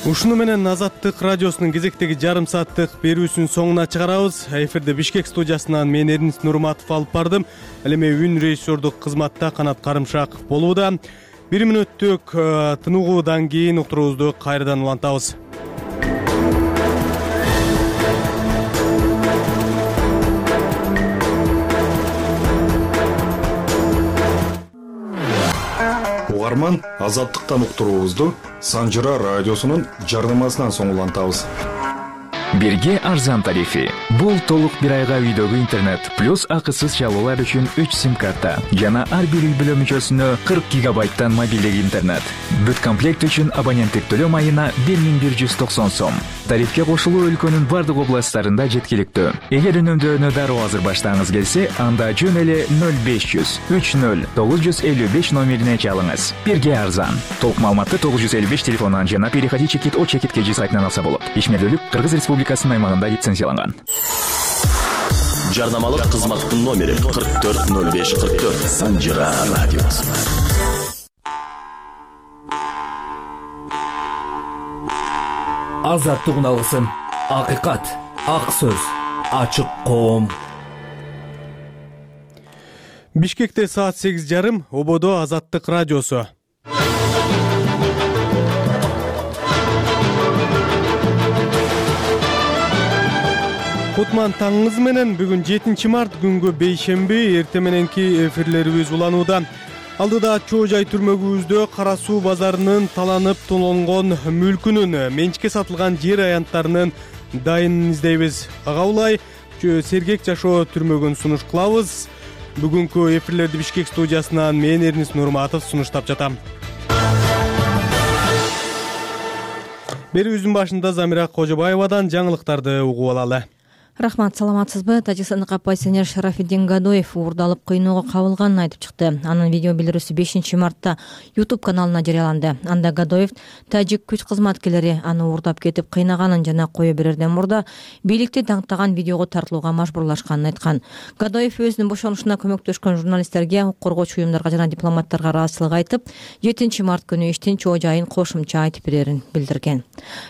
Ушуну менен Азаттык радиосунун кезектеги жарым сааттык берүүсүнүн соңуна чыгарабыз. Эфирде Бишкек студиясынан мен Эрнис Нурматов алып бардым. Ал эми үн режиссердук кызматта Канат Карымшаков болууда. Бир мүнөттүк тыныгуудан кийин уктуруубузду кайрадан улантабыз.
Угарман, Азаттыктан уктуруубузду Санжыра радиосунун жардамасынан соң улантабыз.
Бирге арзан тарифи. Бул толук бир айга үйдөгү интернет плюс акысыз чалуулар үчүн үч сим-карта жана ар бир үй бүлө мүчөсүнө кырк гигабайттан мобилдик интернет. Бүт комплект үчүн абоненттик төлөм айына бир миң бир жүз токсон сом. тарифке кошулуу өлкөнүн бардык областтарында жеткиликтүү. Эгер үнөмдөөнү дароо азыр баштагыңыз келсе, анда жөн эле ноль беш жүз үч ноль тогуз жүз элүү беш номерине чалыңыз. Бирге арзан. Толук маалыматты тогуз жүз элүү беш телефонунан жана переходи чекит о чекит кж сайтынан алса болот. Ишмердүүлүк Кыргыз Республикасынын аймагында лицензияланган.
Жарнамалык кызматтын номери кырк төрт ноль беш кырк төрт. Санжира радиосу.
Азаттык алгысын. Акыйкат, ак сөз, ачык коом.
Бишкекте саат сегиз жарым, ободо Азаттык радиосу. Кутман таңыңыз менен бүгүн жетинчи март күнгө бейшемби эрте мененки эфирлерибиз уланууда. Алдыда чоо жай түрмөгүбүздө Кара суу базарынын таланып тонолгон мүлкүнүн, менчикке сатылган жер аянттарынын дайынын издейбиз. Ага улай сергек жашоо түрмөгүн сунуш кылабыз. Бүгүнкү эфирлерди Бишкек студиясынан мен Эрнис Нурматов сунуштап жатам. Берүүбүздүн башында Замира Кожобаевадан жаңылыктарды угуп алалы.
Рахмат, саламатсызбы? Тажикстандык оппозиционер Шарафиддин Гадоев уурдалып кыйноого кабылганын айтып чыкты. Анын видео билдирүүсү бешинчи мартта YouTube каналына жарыяланды. Анда Гадоев тажик күч кызматкерлери аны уурдап кетип кыйнаганын жана кое берерден мурда бийликти даңктаган видеого тартылууга мажбурлашканын айткан. Гадоев өзүнүн бошонушуна көмөктөшкөн журналисттерге, укук коргоочу уюмдарга жана дипломаттарга ыраазычылык айтып, жетинчи март күнү иштин чоо жайын кошумча айтып берерин билдирген.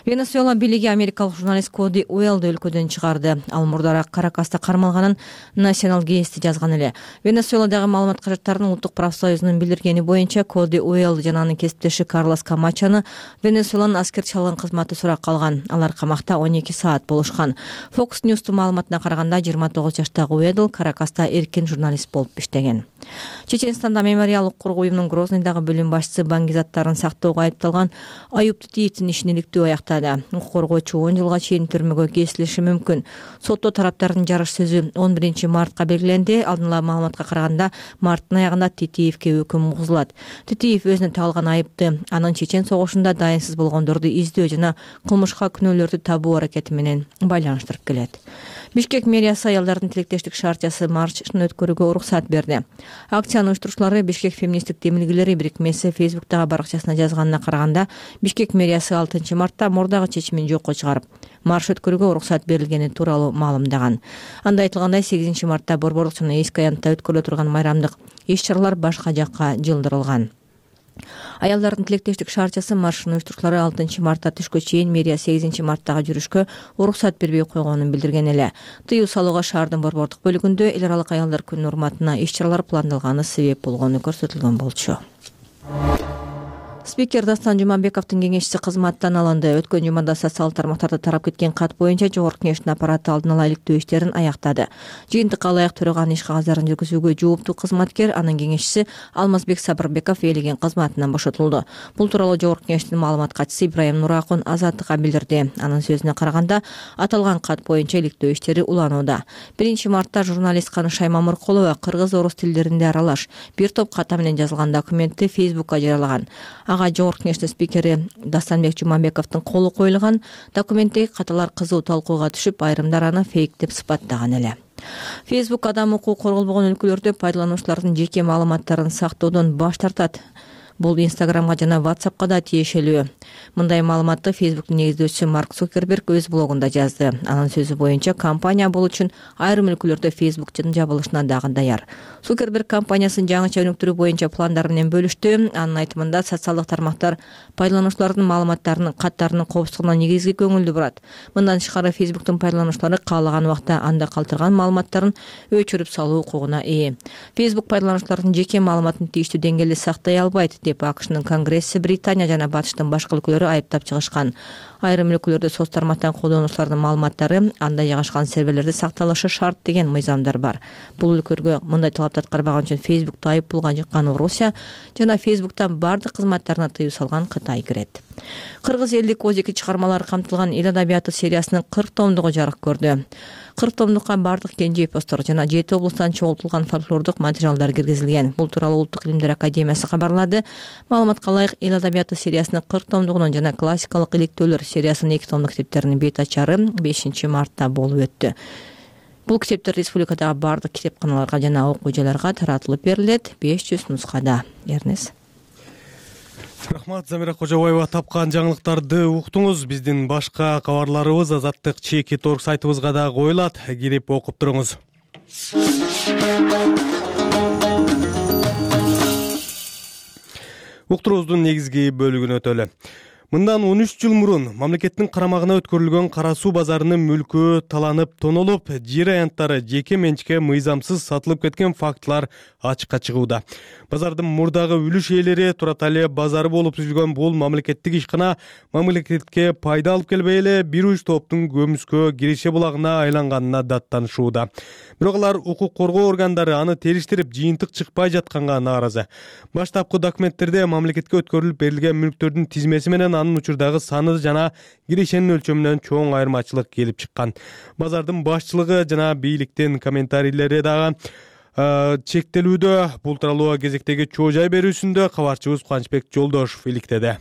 Венесуэла бийлиги америкалык журналист Коди Уэллди өлкөдөн чыгарды. Ал мурдара Каракаста кармалганын National Geist жазган эле. Венесуэладагы маалымат каражаттарынын улуттук профсоюзунун билдиргени боюнча Коди Уэлл жана анын кесиптеши Карлос Камачаны Венесуэланын аскерчи алган кызматы суракка алган. Алар камакта он эки саат болушкан. Fox News'тун маалыматына караганда жыйырма тогуз жаштагы Уэлл Каракаста эркин журналист болуп иштеген. Чеченстанда мемориал укук коргоо уюмунун Грозныйдагы бөлүм башчысы баңгизаттарын сактоого айыпталган Аюп Тутиевдин ишин иликтөө аяктады. Укук коргоочу он жылга чейин түрмөгө кесилиши мүмкүн. Сотто тараптардын жарыш сөзү он биринчи мартка белгиленди. Алдын ала маалыматка караганда марттын аягында Тутиевке өкүм угузулат. Тутиев өзүнө тагылган айыпты анын Чечен согушунда дайынсыз болгондорду издөө жана кылмышка күнөөлөрдү табуу аракети менен байланыштырып келет. Бишкек мэриясы аялдардын тилектештик шаарчасы маршын өткөрүүгө уруксат берди. Акциянын уюштуруучулары Бишкек феминисттик демилгелери бирикмеси Фейсбуктагы баракчасына жазганына караганда, Бишкек мэриясы алтынчы мартта мурдагы чечимин жокко чыгарып, марш өткөрүүгө уруксат берилгени тууралуу маалымдаган. Анда айтылгандай, сегизинчи мартта Борборлук жана Эски аянтта өткөрүлө турган майрамдык иш-чаралар башка жакка жылдырылган. Аялдардын тилектештик шаарчасы маршын уюштуруучулары алтынчы мартта түшкө чейин мэрия сегизинчи марттагы жүрүшкө уруксат бербей койгонун билдирген эле. Тыюу салууга шаардын борбордук бөлүгүндө эл аралык аялдар күнүнүн урматына иш-чаралар пландалганы себеп болгону көрсөтүлгөн болчу. Спикер Дастан Жумабековдун кеңешчиси кызматтан алынды. Өткөн жумада социалдык тармактарда тарап кеткен кат боюнча Жогорку Кеңештин аппараты алдын ала иликтөө иштерин аяктады. Жыйынтыкка ылайык төрөган иш кагаздарын жүргүзүүгө жооптуу кызматкер, анын кеңешчиси Алмазбек Сабырбеков ээлеген кызматынан бошотулду. Бул тууралуу Жогорку Кеңештин маалымат катчысы Ибраим Нуракун Азаттыкка билдирди. Анын сөзүнө караганда, аталган кат боюнча иликтөө иштери уланууда. биринчи мартта журналист Канышай Мамыркулова кыргыз-орус тилдеринде аралаш бир топ ката менен жазылган документти Фейсбукка жарыялаган. Ага Жогорку Кеңештин спикери Дастанбек Жумабековдун колу коюлган. Документтеги каталар кызуу талкууга түшүп, айрымдар аны фейк деп сыпаттаган эле. Facebook адам укугу корголбогон өлкөлөрдө пайдалануучулардын жеке маалыматтарын сактоодон баш тартат. Бул Инстаграмга жана WhatsAppка да тиешелүү. Мындай маалыматты Фейсбуктун негиздөөчүсү Марк Цукерберг өз блогунда жазды. Анын сөзү боюнча, компания бул үчүн айрым өлкөлөрдө Фейсбуктун жабылышына дагы даяр. Цукерберг компаниясынын жаңыча өнүктүрүү боюнча пландары менен бөлүштү. Анын айтымында, социалдык тармактар пайдалануучулардын маалыматтарынын каттарынын коопсуздугуна негизги көңүлдү бурат. Мындан тышкары Фейсбуктун пайдалануучулары каалаган убакта анда калтырган маалыматтарын өчүрүп салуу укугуна ээ. Фейсбук пайдалануучулардын жеке маалыматын тийиштүү деңгээлде сактай албайт деп АКШнын Конгресси, Британия жана Батыштын башка өлкөлөрү айыптап чыгышкан. Айрым өлкөлөрдө соц тармактан колдонуучулардын маалыматтары анда жайгашкан серверлерде сакталышы шарт деген мыйзамдар бар. Бул өлкөлөргө мындай талапты аткарбаган үчүн Фейсбукту айыппулга жыккан Орусия жана Фейсбуктан бардык кызматтарына тыюу салган Кытай кирет. Кыргыз элдик Оз эки чыгармалары камтылган эл адабияты сериясынын кырк томдугу жарык көрдү. кырк томдукка бардык кенже эпостор жана жети облустан чогултулган фольклордук материалдар киргизилген. Бул тууралуу Улуттук илимдер академиясы кабарлады. Маалыматка ылайык эл адабияты сериясынын кырк томдугунун жана классикалык иликтөөлөр сериясынын эки томдук китептеринин бет ачары бешинчи мартта болуп өттү. Бул китептер республикадагы бардык китепканаларга жана окуу жайларга таратылып берилет. беш жүз нускада. Эрнес.
Рахмат, Замира Кожобаева. Тапкан жаңылыктарды уктуңуз. Биздин башка кабарларыбыз Азаттык чеки точка орг сайтыбызга да коюлат. Кирип окуп туруңуз. Уктуруубуздун негизги бөлүгүнө өтөлү. Мындан он үч жыл мурун мамлекеттин карамагына өткөрүлгөн Кара суу базарынын мүлкү таланып, тонолуп, жер аянттары жеке менчикке мыйзамсыз сатылып кеткен фактылар ачыкка чыгууда. Базардын мурдагы үлүш ээлери Туратали базары болуп түзүлгөн бул мамлекеттик ишкана мамлекетке пайда алып келбей эле бир уч топтун көмүскө киреше булагына айланганына даттанышууда. Бирок алар укук коргоо органдары аны териштирип, жыйынтык чыкпай жатканга нааразы. Баштапкы документтерде мамлекетке өткөрүлүп берилген мүлктөрдүн тизмеси менен анын учурдагы саны жана кирешенин өлчөмүнөн чоң айырмачылык келип чыккан. Базардын башчылыгы жана бийликтин комментарийлери дагы чектелүүдө. Бул тууралуу кезектеги чоо жай берүүсүндө кабарчыбыз Кубанычбек Жолдошов иликтеди.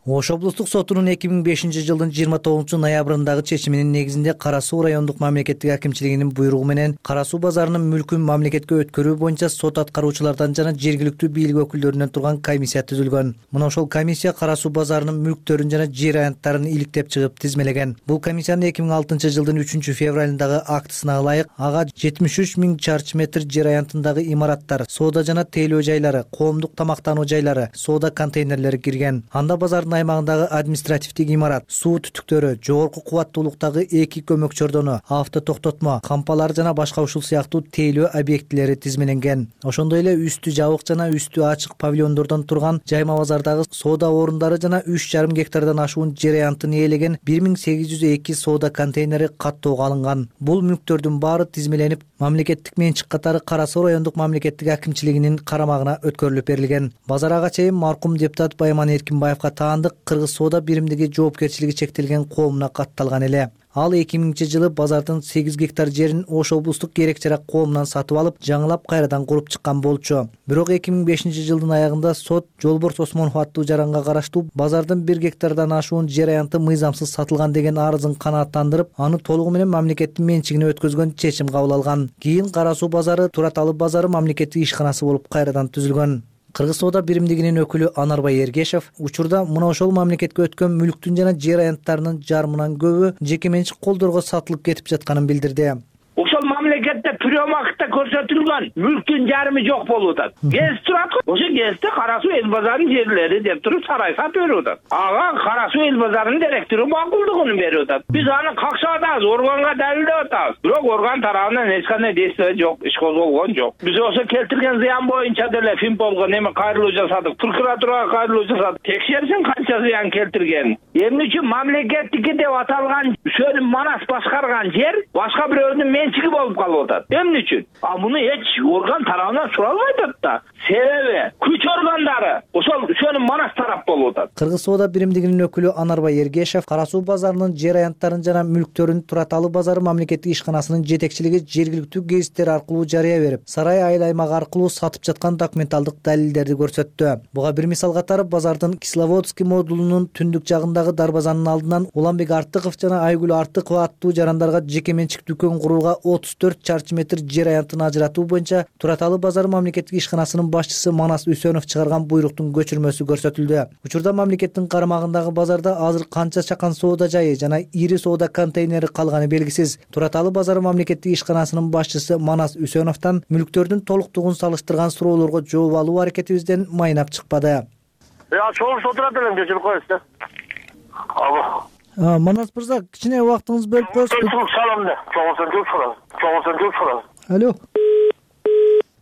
Ош облустук сотунун эки миң бешинчи жылдын жыйырма тогузунчу ноябрындагы чечиминин негизинде Кара суу райондук мамлекеттик акимчилигинин буйругу менен Кара суу базарынын мүлкүн мамлекетке өткөрүү боюнча сот аткаруучулардан жана жергиликтүү бийлик өкүлдөрүнөн турган комиссия түзүлгөн. Мына ошол комиссия Кара суу базарынын мүлктөрүн жана жер аянттарын иликтеп чыгып тизмелеген. Бул комиссиянын эки миң алтынчы жылдын үчүнчү февралындагы актысына ылайык ага жетимиш үч миң чарчы метр жер аянтындагы имараттар, соода жана тейлөө жайлары, коомдук тамактануу жайлары, соода контейнерлери кирген. Анда базардын аймагындагы административдик имарат, суу түтүктөрү, жогорку кубаттуулуктагы эки көмөк чордону, авто токтотмо, кампалар жана башка ушул сыяктуу тейлөө объектилери тизмеленген. Ошондой эле үстү жабык жана үстү ачык павильондордон турган жайма базардагы соода орундары жана үч жарым гектардан ашуун жер аянтын ээлеген бир миң сегиз жүз эки соода контейнери каттоого алынган. Бул мүлктөрдүн баары тизмеленип, мамлекеттик менчик катары Кара суу райондук мамлекеттик акимчилигинин карамагына өткөрүлүп берилген. Базар ага чейин маркум депутат Байман Эркинбаевга таандык Кыргыз соода биримдиги жоопкерчилиги чектелген коомуна катталган эле. Ал эки миңинчи жылы базардын сегиз гектар жерин Ош облустук керек жарак коомунан сатып алып, жаңылап кайрадан куруп чыккан болчу. Бирок эки миң бешинчи жылдын аягында сот Жолборс Осмонов аттуу жаранга караштуу базардын бир гектардан ашуун жер аянты мыйзамсыз сатылган деген арызын канааттандырып, аны толугу менен мамлекеттин менчигине өткөзгөн чечим кабыл алган. Кийин Кара суу базары Тураталы базары мамлекеттик ишканасы болуп кайрадан түзүлгөн. Кыргыз соода биримдигинин өкүлү Анарбай Эргешев учурда мына ошол мамлекетке өткөн мүлктүн жана жер аянттарынын жарымынан көбү жеке менчик колдорго сатылып кетип жатканын билдирди.
Ошол мамлекетте приёмакта көрсөтүлгөн мүлктүн жарымы жок болуп атат. Гез турат го. Ошо кезде Кара суу эл базарынын жерлери деп туруп сарай сатып берип атат. Ага Кара суу эл базарынын директору макулдугун берип атат. Биз аны какшап атабыз, органга далилдеп атабыз. Бирок орган тарабынан эч кандай действие жок, иш козголгон жок. Биз ошо келтирген зыян боюнча деле Финполго неме кайрылуу жасадык, прокуратурага кайрылуу жасадык. Текшерсин канча зыян келтирген. Эмне үчүн мамлекеттики деп аталган Сөнүм Манас башкарган жер башка бирөөнүн менчиги болуп калып атат. Эмне үчүн? А муну эч орган тарабынан суралбай атат да. Себеби күч органдары ошол Сөнүм Манас тарап болуп атат.
Кыргыз соода биримдигинин өкүлү Анарбай Эргешев Кара суу базарынын жер аянттарын жана мүлктөрүн Тураталы базары мамлекеттик ишканасынын жетекчилиги жергиликтүү гезиттер аркылуу жарыя берип, Сарай айыл аймагы аркылуу сатып жаткан документалдык далилдерди көрсөттү. Буга бир мисал катары базардын Кисловодский модулунун түндүк жагындагы дарбазанын алдынан Уланбек Артыков жана Айгүл Артыкова аттуу жарандарга жеке менчик дүкөн курууга отуз төрт чарчы метр жер аянтын ажыратуу боюнча Тураталы базары мамлекеттик ишканасынын башчысы Манас Үсөнов чыгарган буйруктун көчүрмөсү көрсөтүлдү. Учурда мамлекеттин карамагындагы базарда азыр канча чакан соода жайы жана ири соода контейнери калганы белгисиз. Тураталы базары мамлекеттик ишканасынын башчысы Манас Үсөновдон мүлктөрдүн толуктугун салыштырган суроолорго жооп алуу аракетибизден майнап чыкпады.
Я чоң отурат элем, кечирип коесуз да. Алло.
Манас мырза, кичине убактыңызды бөлүп коесузбу?
Салам да. Чоңсун жок сурам. Чоңсун жок сурам.
Алло.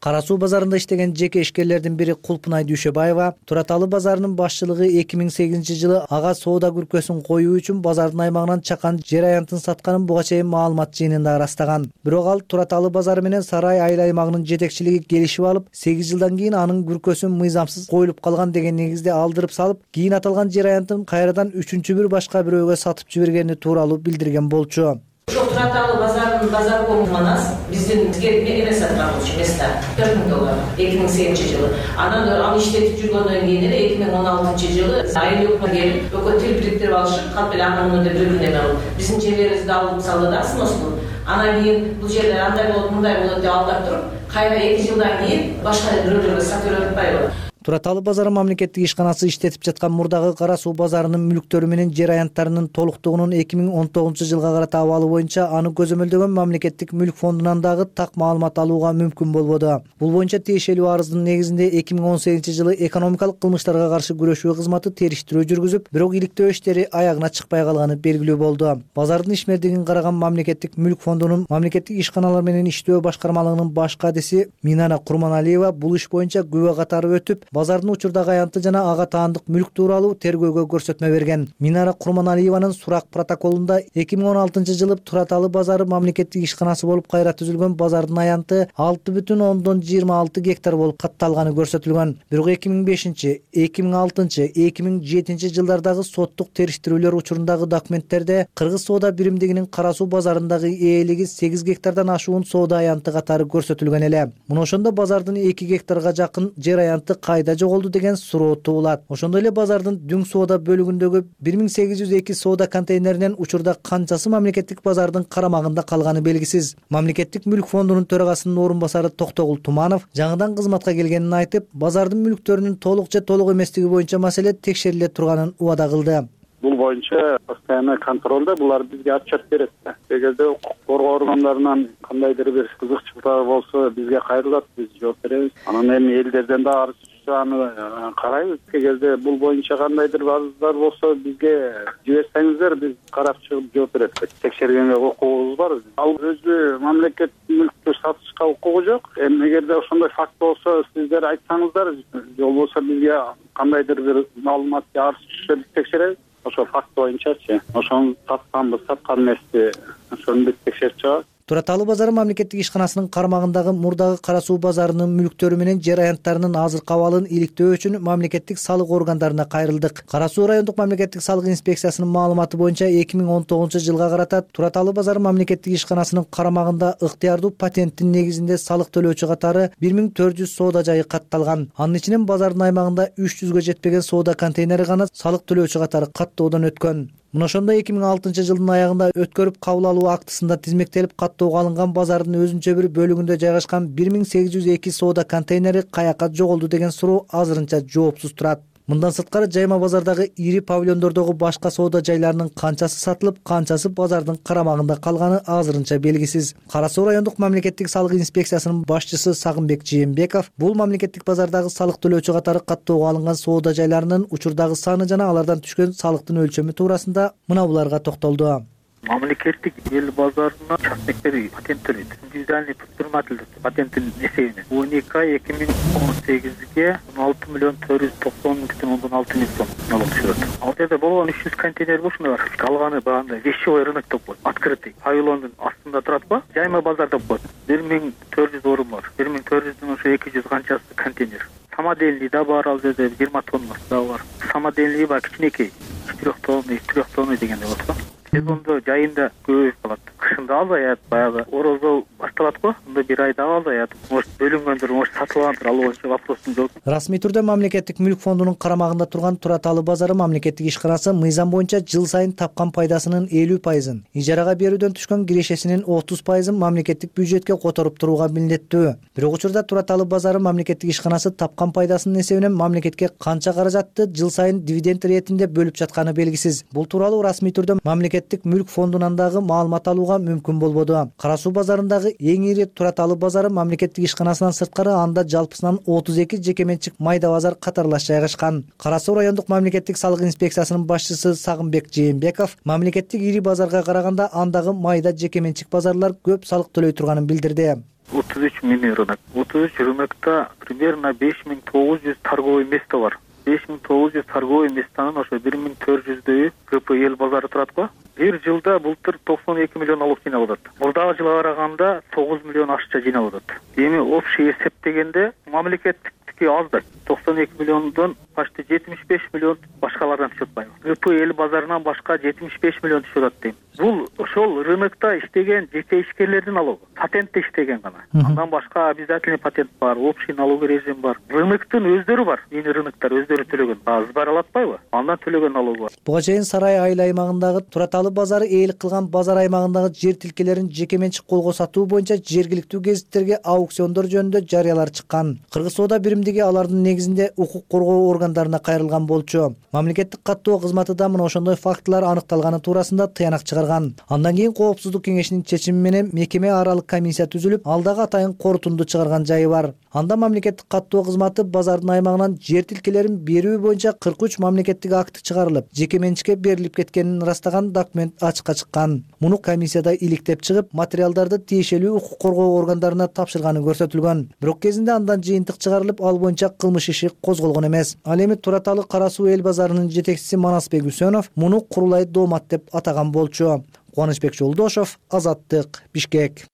Кара суу базарында иштеген жеке ишкерлердин бири Кулпунай Дүйшөбаева Тураталы базарынын башчылыгы эки миң сегизинчи жылы ага соода күркөсүн коюу үчүн базардын аймагынан чакан жер аянтын сатканын буга чейин маалымат жыйынында ырастаган. Бирок ал Тураталы базары менен Сарай айыл аймагынын жетекчилиги келишип алып, сегиз жылдан кийин анын күркөсүн мыйзамсыз коюлуп калган деген негизде алдырып салып, кийин аталган жер аянтын кайрадан үчүнчү бир башка бирөөгө сатып жибергени тууралуу билдирген болчу.
ошол Тураталы базарынын базар манас биздин бизге эмес аткаруучу места төрт миң доллар эки миң сегизинчи жылы. Анан аны иштетип жүргөндөн кийин эле эки миң он алтынчы жылы айылыкка келип экөө тил бириктирип алышып, калп эле анын деп бири бирине алып биздин жерлерибизди алып салды да сноскун. Анан кийин бул жерлер андай болот, мындай болот деп алдап туруп, кайра эки жылдан кийин башка бирөөлөргө сатып атпайбы?
Тураталы базары мамлекеттик ишканасы иштетип жаткан мурдагы Кара суу базарынын мүлктөрү менен жер аянттарынын толуктугунун эки миң он тогузунчу жылга карата абалы боюнча аны көзөмөлдөгөн мамлекеттик мүлк фондунан дагы так маалымат алууга мүмкүн болбоду. Бул боюнча тиешелүү арыздын негизинде эки миң он сегизинчи жылы экономикалык кылмыштарга каршы күрөшүү кызматы териштирүү жүргүзүп, бирок иликтөө иштери аягына чыкпай калганы белгилүү болду. Базардын ишмердигин караган мамлекеттик мүлк фондунун мамлекеттик ишканалар менен иштөө башкармалыгынын баш кадиси Минара Курманалиева бул иш боюнча күбө катары өтүп, базардын учурдагы аянты жана ага таандык мүлк тууралуу тергөөгө көрсөтмө берген. Минара Курманалиеванын сурак протоколунда эки миң он алтынчы жылы Тураталы базары мамлекеттик ишканасы болуп кайра түзүлгөн базардын аянты алты бүтүн ондон жыйырма алты гектар болуп катталганы көрсөтүлгөн. Бирок эки миң бешинчи, эки миң алтынчы, эки миң жетинчи жылдардагы соттук териштирүүлөр учурундагы документтерде Кыргыз соода биримдигинин Кара суу базарындагы ээлиги сегиз гектардан ашуун соода аянты катары көрсөтүлгөн эле. Мына ошондо базардын эки гектарга жакын жер аянты кайда жоголду деген суроо туулат. Ошондой эле базардын Дүң соода бөлүгүндөгү бир миң сегиз жүз эки соода контейнеринен учурда канчасы мамлекеттик базардын карамагында калганы белгисиз. Мамлекеттик мүлк фондунун төрагасынын орун басары Токтогул Туманов жаңыдан кызматка келгенин айтып, базардын мүлктөрүнүн толук же толук эместиги боюнча маселе текшериле турганын убада кылды.
Бул боюнча постоянный контролдо булар бизге отчет берет да. Эгерде укук коргоо органдарынан кандайдыр бир кызыкчылыктар болсо бизге кайрылат, биз жооп беребиз. Анан эми элдерден да арыз түшсө аны карайбыз. Эгерде бул боюнча кандайдыр арыздар болсо бизге жиберсеңиздер, биз карап чыгып жооп беребиз. Текшергенге укугубуз бар. Ал өзү мамлекет мүлктү сатышка укугу жок. Эми эгерде ошондой факт болсо сиздер айтсаңыздар, же болбосо бизге кандайдыр бир маалымат арыз түшсө биз текшеребиз. Ошо факт боюнчачы, ошону сатканбыз, саткан эмеспи, ошону биз текшерип чыгабыз.
Тураталы базары мамлекеттик ишканасынын кармагындагы мурдагы Кара суу базарынын мүлктөрү менен жер аянттарынын азыркы абалын иликтөө үчүн мамлекеттик салык органдарына кайрылдык. Кара суу райондук мамлекеттик салык инспекциясынын маалыматы боюнча эки миң он тогузунчу жылга карата Тураталы базары мамлекеттик ишканасынын карамагында ыктыярдуу патенттин негизинде салык төлөөчү катары бир миң төрт жүз соода жайы катталган. Анын ичинен базардын аймагында үч жүзгө жетпеген соода контейнери гана салык төлөөчү катары каттоодон өткөн. Мына ошондо эки миң алтынчы жылдын аягында өткөрүп кабыл алуу актысында тизмектелип каттоого алынган базардын өзүнчө бир бөлүгүндө жайгашкан бир миң сегиз жүз эки соода контейнери каяка жоголду деген суроо азырынча жоопсуз турат. Мындан сырткары жайма базардагы ири павильондордогу башка соода жайларынын канчасы сатылып, канчасы базардын карамагында калганы азырынча белгисиз. Кара суу райондук мамлекеттик салык инспекциясынын башчысы Сагынбек Жээнбеков бул мамлекеттик базардагы салык төлөөчү катары каттоого алынган соода жайларынын учурдагы саны жана алардан түшкөн салыктын өлчөмү туурасында мына буларга токтолду.
Мамлекеттик эл базарына частниктер патент төлөйт. Индивидуальный предприниматель патенттин эсебинен он эки ай эки миң он сегизге он алты миллион төрт жүз токсон бүтүн ондон алты миң сом налог түшүрөт. Ал жерде болгон үч жүз контейнер болчу бар. Калганы баягындай вещевой рынок деп коет. Открытый. Павильондун астында турат го. Жайма базар деп коет. бир миң төрт жүз орун бар. бир миң төрт жүздүн ошо эки жүз канчасы контейнер. Самодельный да бар, ал жерде жыйырма тоннасы да бар. Самодельный бар, кичинекей. четыре тонны, три тонны дегенде болот го. Сезондо жайында көбөйүп калат. Кышында азаят, баягы орозо башталат го. Анда бир айда азаят. Может бөлүнгөндүр, может сатылгандыр, ал боюнча вопростун жооп.
Расмий түрдө мамлекеттик мүлк фондунун карамагында турган Тураталы базары мамлекеттик ишканасы мыйзам боюнча жыл сайын тапкан пайдасынын элүү пайызын, ижарага берүүдөн түшкөн кирешесинин отуз пайызын мамлекеттик бюджетке которуп турууга милдеттүү. Бирок учурда Тураталы базары мамлекеттик ишканасы тапкан пайдасынын эсебинен мамлекетке канча каражатты жыл сайын дивиденд иретинде бөлүп жатканы белгисиз. Бул тууралуу расмий түрдө мамлекеттик мүлк фондунан дагы маалымат алууга мүмкүн болбоду. Кара суу базарындагы эң ири Тураталы базары мамлекеттик ишканасынан сырткары анда жалпысынан отуз эки жеке менчик майда базар катарлаш жайгашкан. Кара суу райондук мамлекеттик салык инспекциясынын башчысы Сагынбек Жээнбеков мамлекеттик ири базарга караганда андагы майда жеке менчик базарлар көп салык төлөй турганын билдирди.
отуз үч миң рынок. отуз үч рынокто примерно беш миң тогуз жүз торговый место бар. беш миң тогуз жүз торговый местанын ошо бир миң төрт жүздөйү КП эл базары турат го. Бир жылда былтыр токсон эки миллион налог жыйналып атат. Мурдагы жылга караганда тогуз миллион акча жыйналып атат. Эми общий эсептегенде мамлекеттики аз да токсон эки миллиондон почти жетимиш беш миллион башкалардан түшүп атпайбы? ГП эл базарынан башка жетимиш беш миллион түшүп атат дейм. Бул ошол рынокто иштеген жеке ишкерлердин налогу. Патентте иштеген гана. Андан башка обязательный патент бар, общий налоговый режим бар. Рыноктун өздөрү бар. Эми рыноктор өздөрү төлөгөн. Сбаралатпайбы? Андан төлөгөн налогу бар.
Буга чейин Сарай айыл аймагындагы Тураталы базары ээлик кылган базар аймагындагы жер тилкелерин жеке менчик колго сатуу боюнча жергиликтүү гезиттерге аукциондор жөнүндө жарыялар чыккан. Кыргыз соода биримдиги алардын негизинде укук коргоо органдарына кайрылган болчу. Мамлекеттик каттоо кызматы да мына ошондой фактылар аныкталганы туурасында тыянак чыгарган. Андан кийин Коопсуздук кеңешинин чечими менен мекеме аралык комиссия түзүлүп, алдагы атайын корутунду чыгарган жайы бар. Анда мамлекеттик каттоо кызматы базардын аймагынан жер тилкелерин берүү боюнча кырк үч мамлекеттик акт чыгарылып, жеке менчикке берилип кеткенин ырастаган документ ачыкка чыккан. Муну комиссияда иликтеп чыгып, материалдарды тиешелүү укук коргоо органдарына тапшырганы көрсөтүлгөн. Бирок кезинде андан жыйынтык чыгарылып, ал боюнча кылмыш иши козголгон эмес. Ал эми Тураталы Кара Суу эл базарынын жетекчиси Манасбек Үсөнов муну курулай доомат деп атаган болчу. Кубанычбек Жолдошов, Азаттык, Бишкек.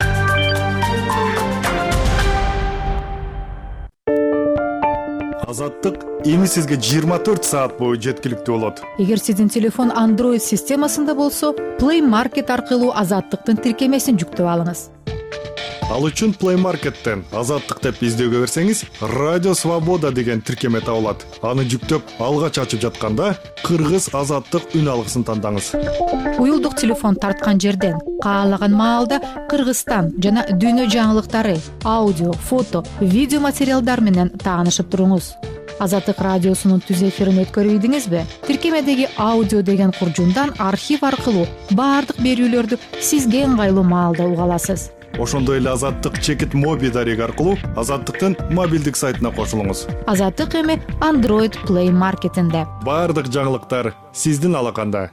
Азаттык эми сизге жыйырма төрт саат бою жеткиликтүү болот.
Эгер сиздин телефон Android системасында болсо, Play Market аркылуу Азаттыктын тиркемесин жүктөп алыңыз.
Ал үчүн Play Market'тен Азаттык деп издөөгө берсеңиз, Радио Свобода деген тиркеме табылат. Аны жүктөп, алгач ачып жатканда Кыргыз Азаттык үн алгысын тандаңыз.
Уюлдук телефон тарткан жерден каалаган маалда Кыргызстан жана дүйнө жаңылыктары, аудио, фото, видео материалдар менен таанышып туруңуз. Азаттык радиосунун түз эфирин өткөрүп ийдиңизби? Тиркемедеги аудио деген куржундан архив аркылуу баардык берүүлөрдү сизге ыңгайлуу маалда уга аласыз.
Ошондой эле Азаттык чекит моби дареги аркылуу Азаттыктын мобилдик сайтына кошулуңуз.
Азаттык эми Android Play Market'инде.
Баардык жаңылыктар сиздин алаканда.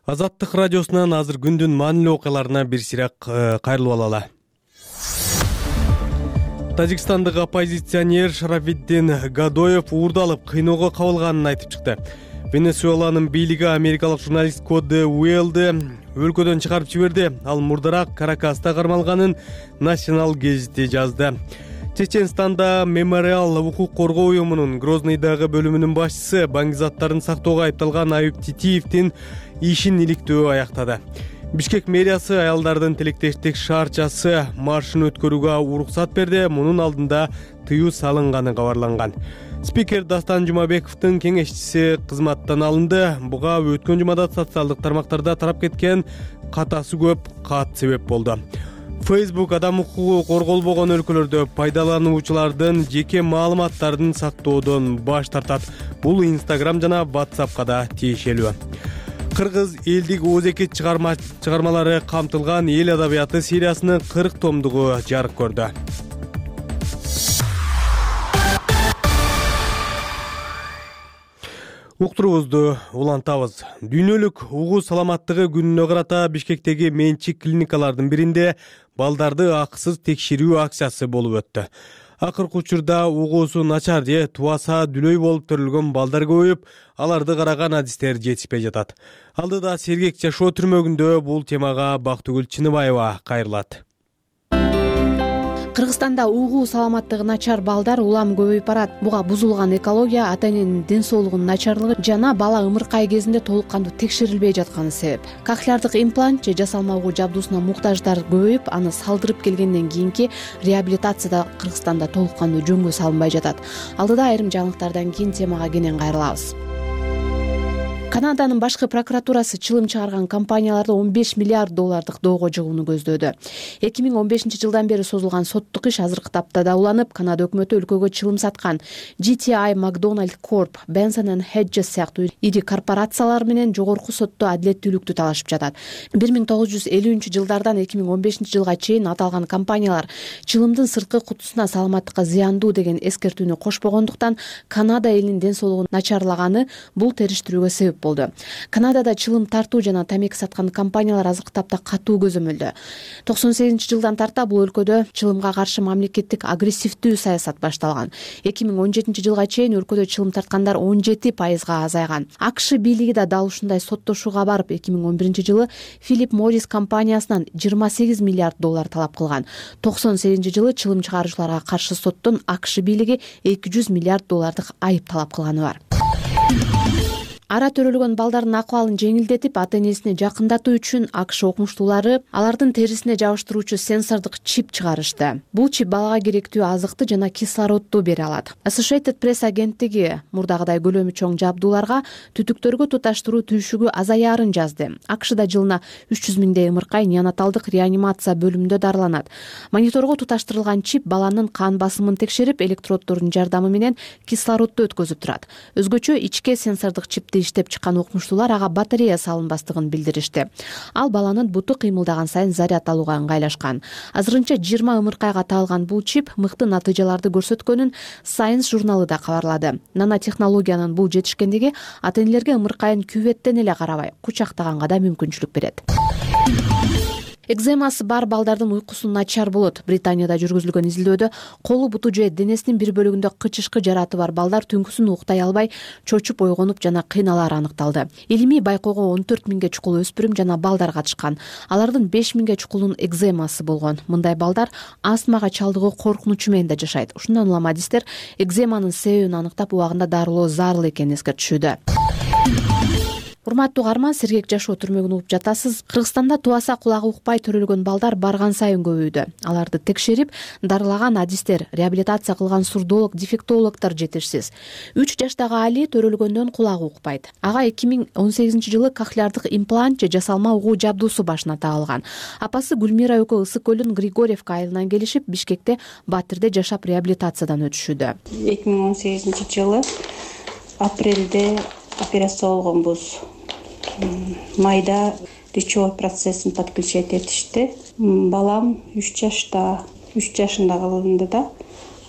Азаттык радиосунан азыр күндүн маанилүү окуяларына бир сирак кайрылып алалы. Тажикстандык оппозиционер Шарафиддин Гадоев уурдалып кыйноого кабылганын айтып чыкты. Венесуэланын бийлиги америкалык журналист Коди Уэллди өлкөдөн чыгарып жиберди. Ал мурдараак Каракаста кармалганын Национал гезити жазды. Чеченстанда Мемориал укук коргоо уюмунун Грозныйдагы бөлүмүнүн башчысы баңгизаттарын сактоого айыпталган Аюп Титиевдин ишин иликтөө аяктады. Бишкек мэриясы аялдардын тилектештик шаарчасы маршын өткөрүүгө уруксат берди. Мунун алдында тыюу салынганы кабарланган. Спикер Дастан Жумабековдун кеңешчиси кызматтан алынды. Буга өткөн жумада социалдык тармактарда тарап кеткен катасы көп кат себеп болду. Facebook адам укугу корголбогон өлкөлөрдө пайдалануучулардын жеке маалыматтарын сактоодон баш тартат. Бул Instagram жана WhatsAppка да тиешелүү. Кыргыз элдик оозекит чыгармалары камтылган эл адабияты сериясынын кырк томдугу жарык көрдү. Уктуруубузду улантабыз. Дүйнөлүк угуу саламаттыгы күнүнө карата Бишкектеги менчик клиникалардын биринде балдарды акысыз текшерүү акциясы болуп өттү. Акыркы учурда угуусу начар же тубаса дүлөй болуп төрөлгөн балдар көбөйүп, аларды караган адистер жетишпей жатат. Алдыда Сергек жашоо түрмөгүндө бул темага Бактыгүл Чыныбаева кайрылат.
Кыргызстанда угуу саламаттыгы начар балдар улам көбөйүп барат. Буга бузулган экология, ата-эненин ден соолугунун начарлыгы жана бала ымыркай кезинде толук кандуу текшерилбей жатканы себеп. Кохлеардык имплант же жасалма угуу жабдуусуна муктаждар көбөйүп, аны салдырып келгенден кийинки реабилитацияда Кыргызстанда толук кандуу жөнгө салынбай жатат. Алдыда айрым жаңылыктардан кийин темага кенен кайрылабыз. Канаданын башкы прокуратурасы чылым чыгарган компанияларды он беш миллиард доллардык доого жыгууну көздөөдү. эки миң он бешинчи жылдан бери созулган соттук иш азыркы таптада уланып, Канада өкмөтү өлкөгө чылым саткан джи ти ай, McDonald Corp, Benson and Hedges сыяктуу ири корпорациялар менен жогорку сотто адилеттүүлүктү талашып жатат. бир миң тогуз жүз элүүнчү жылдардан эки миң он бешинчи жылга чейин аталган компаниялар чылымдын сырткы кутусуна саламаттыкка зыяндуу деген эскертүүнү кошпогондуктан Канада элинин ден соолугу начарлаганы бул териштирүүгө себеп болду. Канадада чылым тартуу жана тамеки саткан компаниялар азыркы тапта катуу көзөмөлдө. токсон сегизинчи жылдан тарта бул өлкөдө чылымга каршы мамлекеттик агрессивдүү саясат башталган. эки миң он жетинчи жылга чейин өлкөдө чылым тарткандар он жети пайызга азайган. АКШ бийлиги да дал ушундай соттошууга барып, эки миң он биринчи жылы Philip Morris компаниясынан жыйырма сегиз миллиард доллар талап кылган. токсон сегизинчи жылы чылым чыгаруучуларга каршы соттон АКШ бийлиги эки жүз миллиард доллардык айып талап кылганы бар. Ара төрөлгөн балдардын акыбалын жеңилдетип, ата-энесине жакындатуу үчүн АКШ окумуштуулары алардын терисине жабыштыруучу сенсордук чип чыгарышты. Бул чип балага керектүү азыкты жана кислородду бере алат. Associated Press агенттиги мурдагыдай көлөмү чоң жабдууларга түтүктөргө туташтыруу түйшүгү азаярын жазды. АКШда жылына үч жүз миңдей ымыркай неонаталдык реанимация бөлүмүндө дарыланат. Мониторго туташтырылган чип баланын кан басымын текшерип, электроддордун жардамы менен кислородду өткөзүп турат. Өзгөчө ичке сенсордук чипти иштеп чыккан окумуштуулар ага батарея салынбастыгын билдиришти. Ал баланын буту кыймылдаган сайын заряд алууга ыңгайлашкан. Азырынча жыйырма ымыркайга таалган бул чип мыкты натыйжаларды көрсөткөнүн Science журналы да кабарлады. Нанотехнологиянын бул жетишкендиги ата-энелерге ымыркайын күбөттен эле карабай, кучактаганга да мүмкүнчүлүк берет. Экземасы бар балдардын уйкусу начар болот. Британияда жүргүзүлгөн изилдөөдө колу, буту же денесинин бир бөлүгүндө кычышкы жараты бар балдар түнкүсүн уктай албай, чочуп ойгонуп жана кыйналары аныкталды. Илимий байкоого он төрт миңге чукул өспүрүм жана балдар катышкан. Алардын беш миңге чукулунун экземасы болгон. Мындай балдар астмага чалдыгуу коркунучу менен да жашайт. Ушундан улам адистер экземанын себебин аныктап убагында дарылоо зарыл экенин эскертишүүдө. Урматтуу каарман, сергек жашоо түрмөгүн угуп жатасыз. Кыргызстанда тубаса кулагы укпай төрөлгөн балдар барган сайын көбөйдү. Аларды текшерип, дарылаган адистер, реабилитация кылган сурдолог, дефектологдор жетишсиз. үч жаштагы Али төрөлгөндөн кулагы укпайт. Ага эки миң он сегизинчи жылы кохлеардык имплант же жасалма угуу жабдуусу башына тагылган. Апасы Гүлмира экөө Ысык көлүнүн Григорьевка айылынан келишип, Бишкекте Батирде жашап реабилитациядан өтүшүүдө.
эки миң он сегизинчи жылы апрелде операция болгонбуз. Майда речевой процессин подключать этишти. Балам үч жашта, үч жашында кылынды да.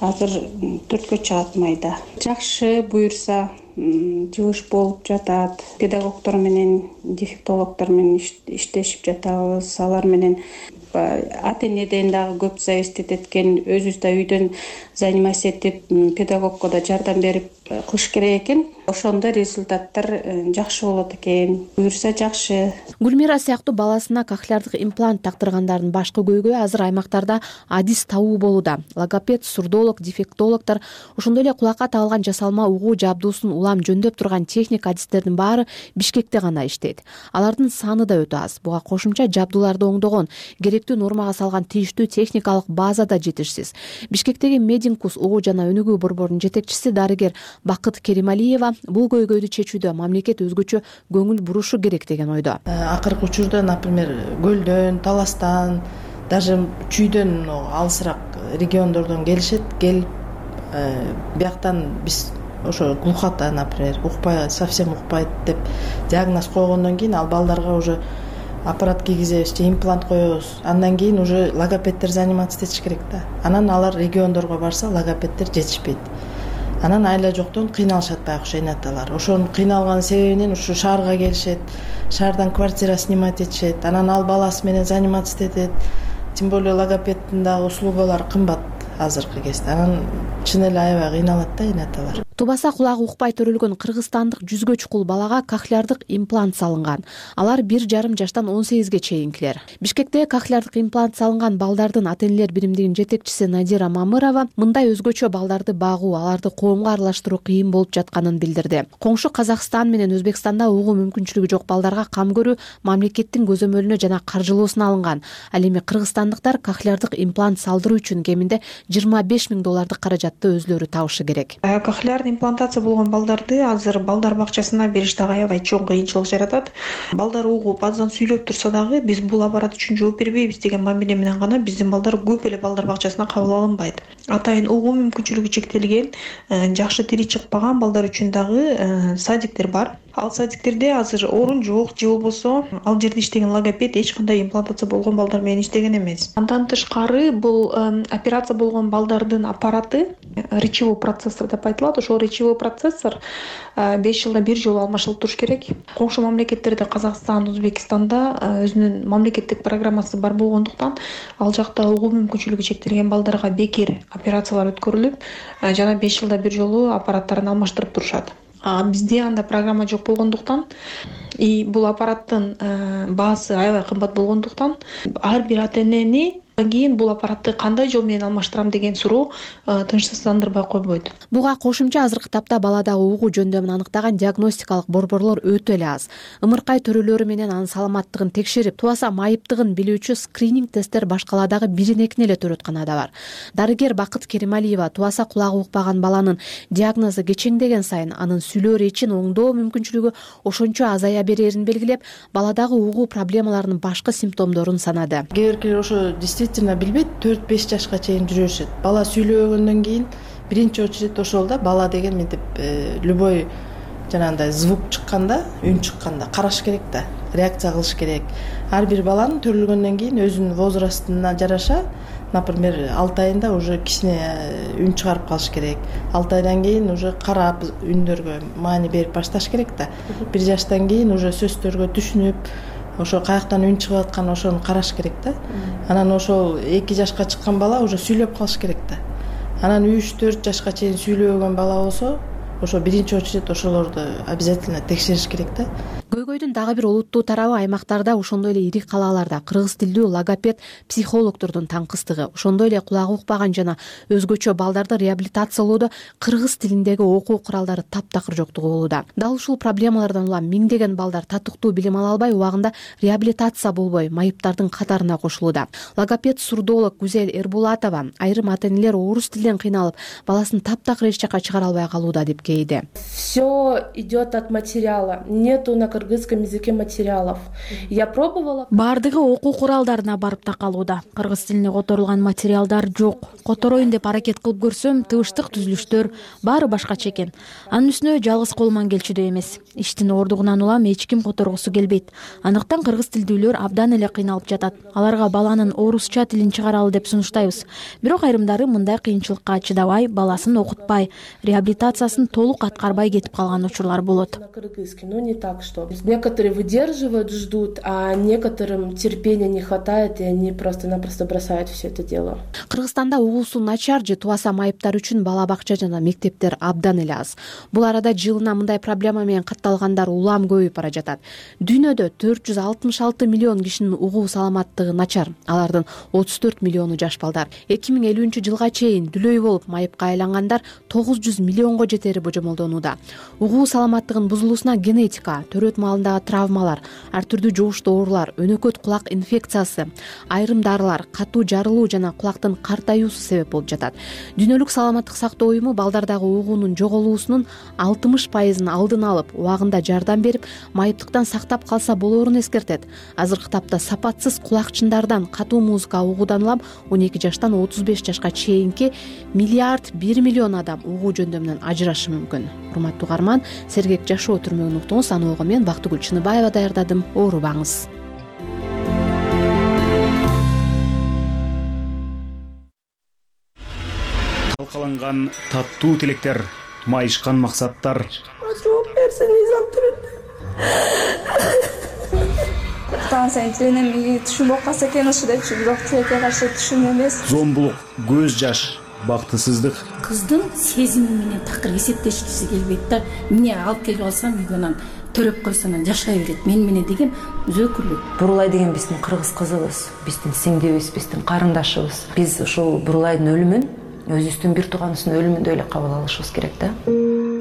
Азыр төрткө чыгат майда. Жакшы буюрса, жыгыш болуп жатат. Педагогдор менен, дефектологдор менен иштешип жатабыз. Алар менен ата-энеден дагы көп зависит эткен, өзүбүз да үйдөн заниматься этип, педагогко да жардам берип кылыш керек экен. Ошондо результаттар жакшы болот экен. Буюрса жакшы.
Гүлмира сыяктуу баласына кохлеардык имплант тактыргандардын башкы көйгөйү азыр аймактарда адис табуу болууда. Логопед, сурдолог, дефектологдор, ошондой эле кулакка тагылган жасалма угуу жабдуусун улам жөндөп турган техник адистердин баары Бишкекте гана иштейт. Алардын саны да өтө аз. Буга кошумча жабдууларды оңдогон, керектүү нормага салган тийиштүү техникалык база да жетишсиз. Бишкектеги Мединкус угуу жана өнүгүү борборунун жетекчиси дарыгер Бакыт Керималиева бул көйгөйдү чечүүдө мамлекет өзгөчө көңүл бурушу керек деген ойдо.
Акыркы учурда, например, көлдөн, таластан, даже чүйдөн алысыраак региондордон келишет, келип бияктан биз ошо глухота, например, укпай, совсем укпайт деп диагноз койгондон кийин ал балдарга уже аппарат кийгизебиз, имплант коебуз. Андан кийин уже логопеддер заниматься этиш керек да. Анан алар региондорго барса, логопеддер жетишпейт. Анан айла жоктон кыйналышат байкуш энаталар. Ошонун кыйналган себебинен ушу шаарга келишет, шаардан квартира снимать этишет, анан ал баласы менен заниматься этет. Тем более логопеддин дагы услугалары кымбат азыркы кезде. Анан чын эле аябай кыйналат да энаталар.
Тубаса кулагы укпай төрөлгөн кыргызстандык жүзгө чукул балага кохлеардык имплант салынган. Алар бир жарым жаштан он сегизге чейинкилер. Бишкекте кохлеардык имплант салынган балдардын ата-энелер биримдигинин жетекчиси Надира Мамырова мындай өзгөчө балдарды багуу, аларды коомго аралаштыруу кыйын болуп жатканын билдирди. Коңшу Казакстан менен Өзбекстанда угуу мүмкүнчүлүгү жок балдарга кам көрүү мамлекеттин көзөмөлүнө жана каржылоосуна алынган. Ал эми кыргызстандыктар кохлеардык имплант салдыруу үчүн кеминде жыйырма беш миң доллардык каражатты өзлөрү табышы керек.
Имплантация болгон балдарды азыр балдар бакчасына бериш дагы аябай чоң кыйынчылык жаратат. Балдар угуп аздан сүйлөп турса дагы биз бул аппарат үчүн жооп бербейбиз деген мамиле менен гана биздин балдар көп эле балдар бакчасына кабыл алынбайт. Атайын угуу мүмкүнчүлүгү чектелген, жакшы тили чыкпаган балдар үчүн дагы садиктер бар. ал садиктерде азыр орун жок же болбосо ал жерде иштеген логопед эч кандай имплантация болгон балдар менен иштеген эмес. Андан тышкары бул операция болгон балдардын аппараты речевой процессор деп айтылат. Ошол речевой процессор беш жылда бир жолу алмашылып туруш керек. Коңшу мамлекеттерде Казакстан, Өзбекстанда өзүнүн мамлекеттик программасы бар болгондуктан ал жакта угуу мүмкүнчүлүгү чектелген балдарга бекер операциялар өткөрүлүп, жана беш жылда бир жолу аппараттарын алмаштырып турушат. А бизде анда программа жок болгондуктан и бул аппараттын баасы аябай кымбат болгондуктан ар бир ата-энени кийин бул аппаратты кандай жол менен алмаштырам деген суроо тынчсыздандырбай койбойт.
Буга кошумча азыркы тапта баладагы угуу жөндөмүн аныктаган диагностикалык борборлор өтө эле аз. Ымыркай төрөлөрү менен анын саламаттыгын текшерип, туаса майыптыгын билүүчү скрининг тесттер башкаладагы бирин-экин эле төрөтканада бар. Дарыгер Бакыт Керималиева туаса кулагы укпаган баланын диагнозу кечеңдеген сайын анын сүйлөө речин оңдоо мүмкүнчүлүгү ошончо азая берерин белгилеп, баладагы угуу проблемаларынын башкы симптомдорун санады.
Кээ биркилер ошо билбейт, төрт-беш жашка чейин жүрүшөт. Бала сүйлөгөндөн кийин биринчи очередь ошол да бала деген мынтип любой жанагындай звук чыкканда, үн чыкканда караш керек да, реакция кылыш керек. Ар бир баланын төрөлгөндөн кийин өзүнүн возрастына жараша, например, алты айында уже кичине үн чыгарып калыш керек. алты айдан кийин уже карап үндөргө маани берип башташ керек да. бир жаштан кийин уже сөздөргө түшүнүп, ошо каяктан үн чыгып аткан ошону караш керек да. Анан ошол эки жашка чыккан бала уже сүйлөп калыш керек да. Анан үч төрт жашка чейин сүйлөбөгөн бала болсо, ошо биринчи очередь ошолорду обязательно текшериш керек да.
Көйгөйдүн дагы бир олуттуу тарабы аймактарда, ошондой эле ири калааларда кыргыз тилдүү логопед психологдордун таңкыстыгы, ошондой эле кулагы укпаган жана өзгөчө балдарды реабилитациялоодо кыргыз тилиндеги окуу куралдары таптакыр жоктугу болууда. Дал ушул проблемалардан улам миңдеген балдар татыктуу билим ала албай, убагында реабилитация болбой, майыптардын катарына кошулууда. Логопед сурдолог Гүзел Эрбулатова айрым ата-энелер орус тилинен кыйналып, баласын таптакыр эч жака чыгара албай калууда деп кейди.
Все идет от материала. Нету на кыргызском языке материалов. Я пробовала.
Бардыгы окуу куралдарына барып такалууда. Кыргыз тилине которулган материалдар жок. Котороюн деп аракет кылып көрсөм, тыбыштык түзүлүштөр баары башкача экен. Анын үстүнө жалгыз колуман келчүдөй эмес. Иштин ордугунан улам эч ким которгусу келбейт. Андыктан кыргыз тилдүүлөр абдан эле кыйналып жатат. Аларга баланын орусча тилин чыгаралы деп сунуштайбыз. Бирок айрымдары мындай кыйынчылыкка чыдабай, баласын окутпай, реабилитациясын толук аткарбай кетип калган учурлар болот.
Ну не так, что некоторые выдерживают, ждут, а некоторым терпения не хватает, и они просто-напросто бросают все это дело.
Кыргызстанда угуусу начар же туаса майыптар үчүн бала бакча жана мектептер абдан эле аз. Бул арада жылына мындай проблема менен катталгандар улам көбөйүп бара жатат. Дүйнөдө төрт жүз алтымыш алты миллион кишинин угуу саламаттыгы начар. Алардын отуз төрт миллиону жаш балдар. эки миң элүүнчү жылга чейин дүлөй болуп майыпка айлангандар тогуз жүз миллионго жетери божомолдонууда. Угуу саламаттыгынын бузулуусуна генетика, төрөт маалындагы травмалар, ар түрдүү жугуштуу оорулар, өнөкөт кулак инфекциясы, айрым дарылар, катуу жарылуу жана кулактын картаюусу себеп болуп жатат. Дүйнөлүк саламаттык сактоо уюму балдардагы угуунун жоголуусунун алтымыш пайызын алдын алып, убагында жардам берип, майыптыктан сактап калса болоорун эскертет. Азыркы тапта сапатсыз кулакчындардан, катуу музыка угуудан улам он эки жаштан отуз беш жашка чейинки миллиард бир миллион адам угуу жөндөмүнөн ажырашы мүмкүн. Урматтуу угарман, сергек жашоо түрмөгүн уктуңуз. Аны ого мен Бактыгүл Чыныбаева даярдадым. Оорубаңыз.
Талкаланган таттуу тилектер, майышкан максаттар.
Жооп берсин, изам түрүндө. Тансен тилине түшүнбөй калса экен ушу депчи, бирок тилекке каршы түшүн эмес.
Зомбулук, көз жаш, бактысыздык.
Кыздын сезими менен такыр эсептешкиси келбейт да. Эмне алып келип алсам үйгөнөн төрөп койсо анан жашай берет. Мен менен деген өзөкүлүк.
Бурулай деген биздин кыргыз кызыбыз, биздин сиңдибиз, биздин карындашыбыз. Биз ушул Бурулайдын өлүмүн өзүбүздүн бир тууганыбыздын өлүмүндөй эле кабыл алышыбыз керек да.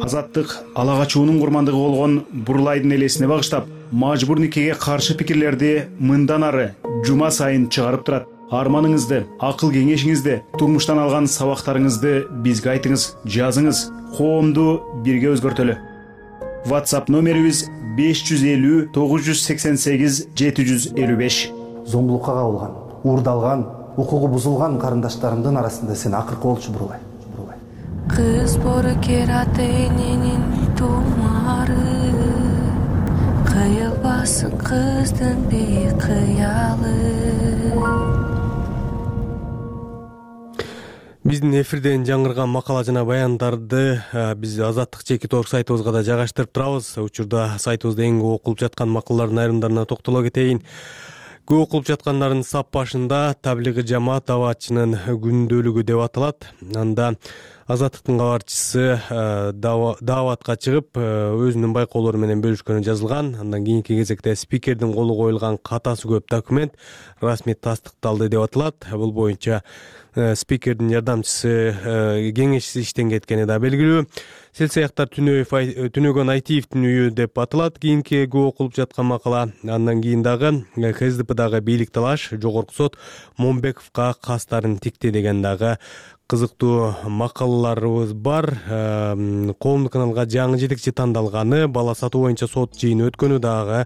Азаттык ала качуунун курмандыгы болгон Бурулайдын элесине багыштап, мажбур никеге каршы пикирлерди мындан ары жума сайын чыгарып турат. Арманыңызды, акыл кеңешиңизди, турмуштан алган сабактарыңызды бизге айтыңыз, жазыңыз. Коомду бирге өзгөртөлү. WhatsApp номерибиз беш жүз элүү тогуз жүз сексен сегиз жети жүз элүү беш.
Зомбулукка кабылган, уурдалган, укугу бузулган карындаштарымдын арасында сен акыркы болчу Бурулай.
Кыз боркера тененин тумары
кыйылбасын кыздын бийик кыялы.
Биздин эфирден жаңырган макала жана баяндарды биз Азаттык чекит орг сайтыбызга да жайгаштырып турабыз. Учурда сайтыбызда эң көп окулуп жаткан макалалардын айрымдарына токтоло кетейин. Көп окулуп жаткандардын сап башында таблигый жамаат даваатчынын күндөлүгү деп аталат. Анда Азаттыктын кабарчысы дааватка чыгып өзүнүн байкоолору менен бөлүшкөнү жазылган. Андан кийинки кезекте спикердин колу коюлган катасы көп документ расмий тастыкталды деп аталат. Бул боюнча спикердин жардамчысы кеңешчиси иштен кеткени да белгилүү. Селсаяктар Түнөгөн Айтиевдин үйү деп аталат. Кийинки көп окулуп жаткан макала. Андан кийин дагы КСДПдагы бийлик талаш, Жогорку сот Момбековго кастарын тикти деген дагы кызыктуу макалаларыбыз бар. Коомдук каналга жаңы жетекчи тандалганы, бала сатуу боюнча сот жыйыны өткөнү дагы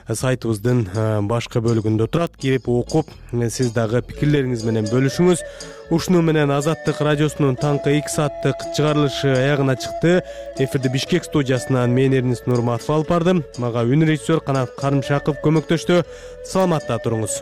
сайтыбыздын башкы бөлүгүндө турат. Кирип окуп, сиз дагы пикирлериңиз менен бөлүшүңүз. Ушуну менен Азаттык радиосунун таңкы эки сааттык чыгарылышы аягына чыкты. Эфирди Бишкек студиясынан мен Эрнис Нурматов алып бардым. Мага үн режиссер Канат Карымшаков көмөктөштү. Саламатта туруңуз.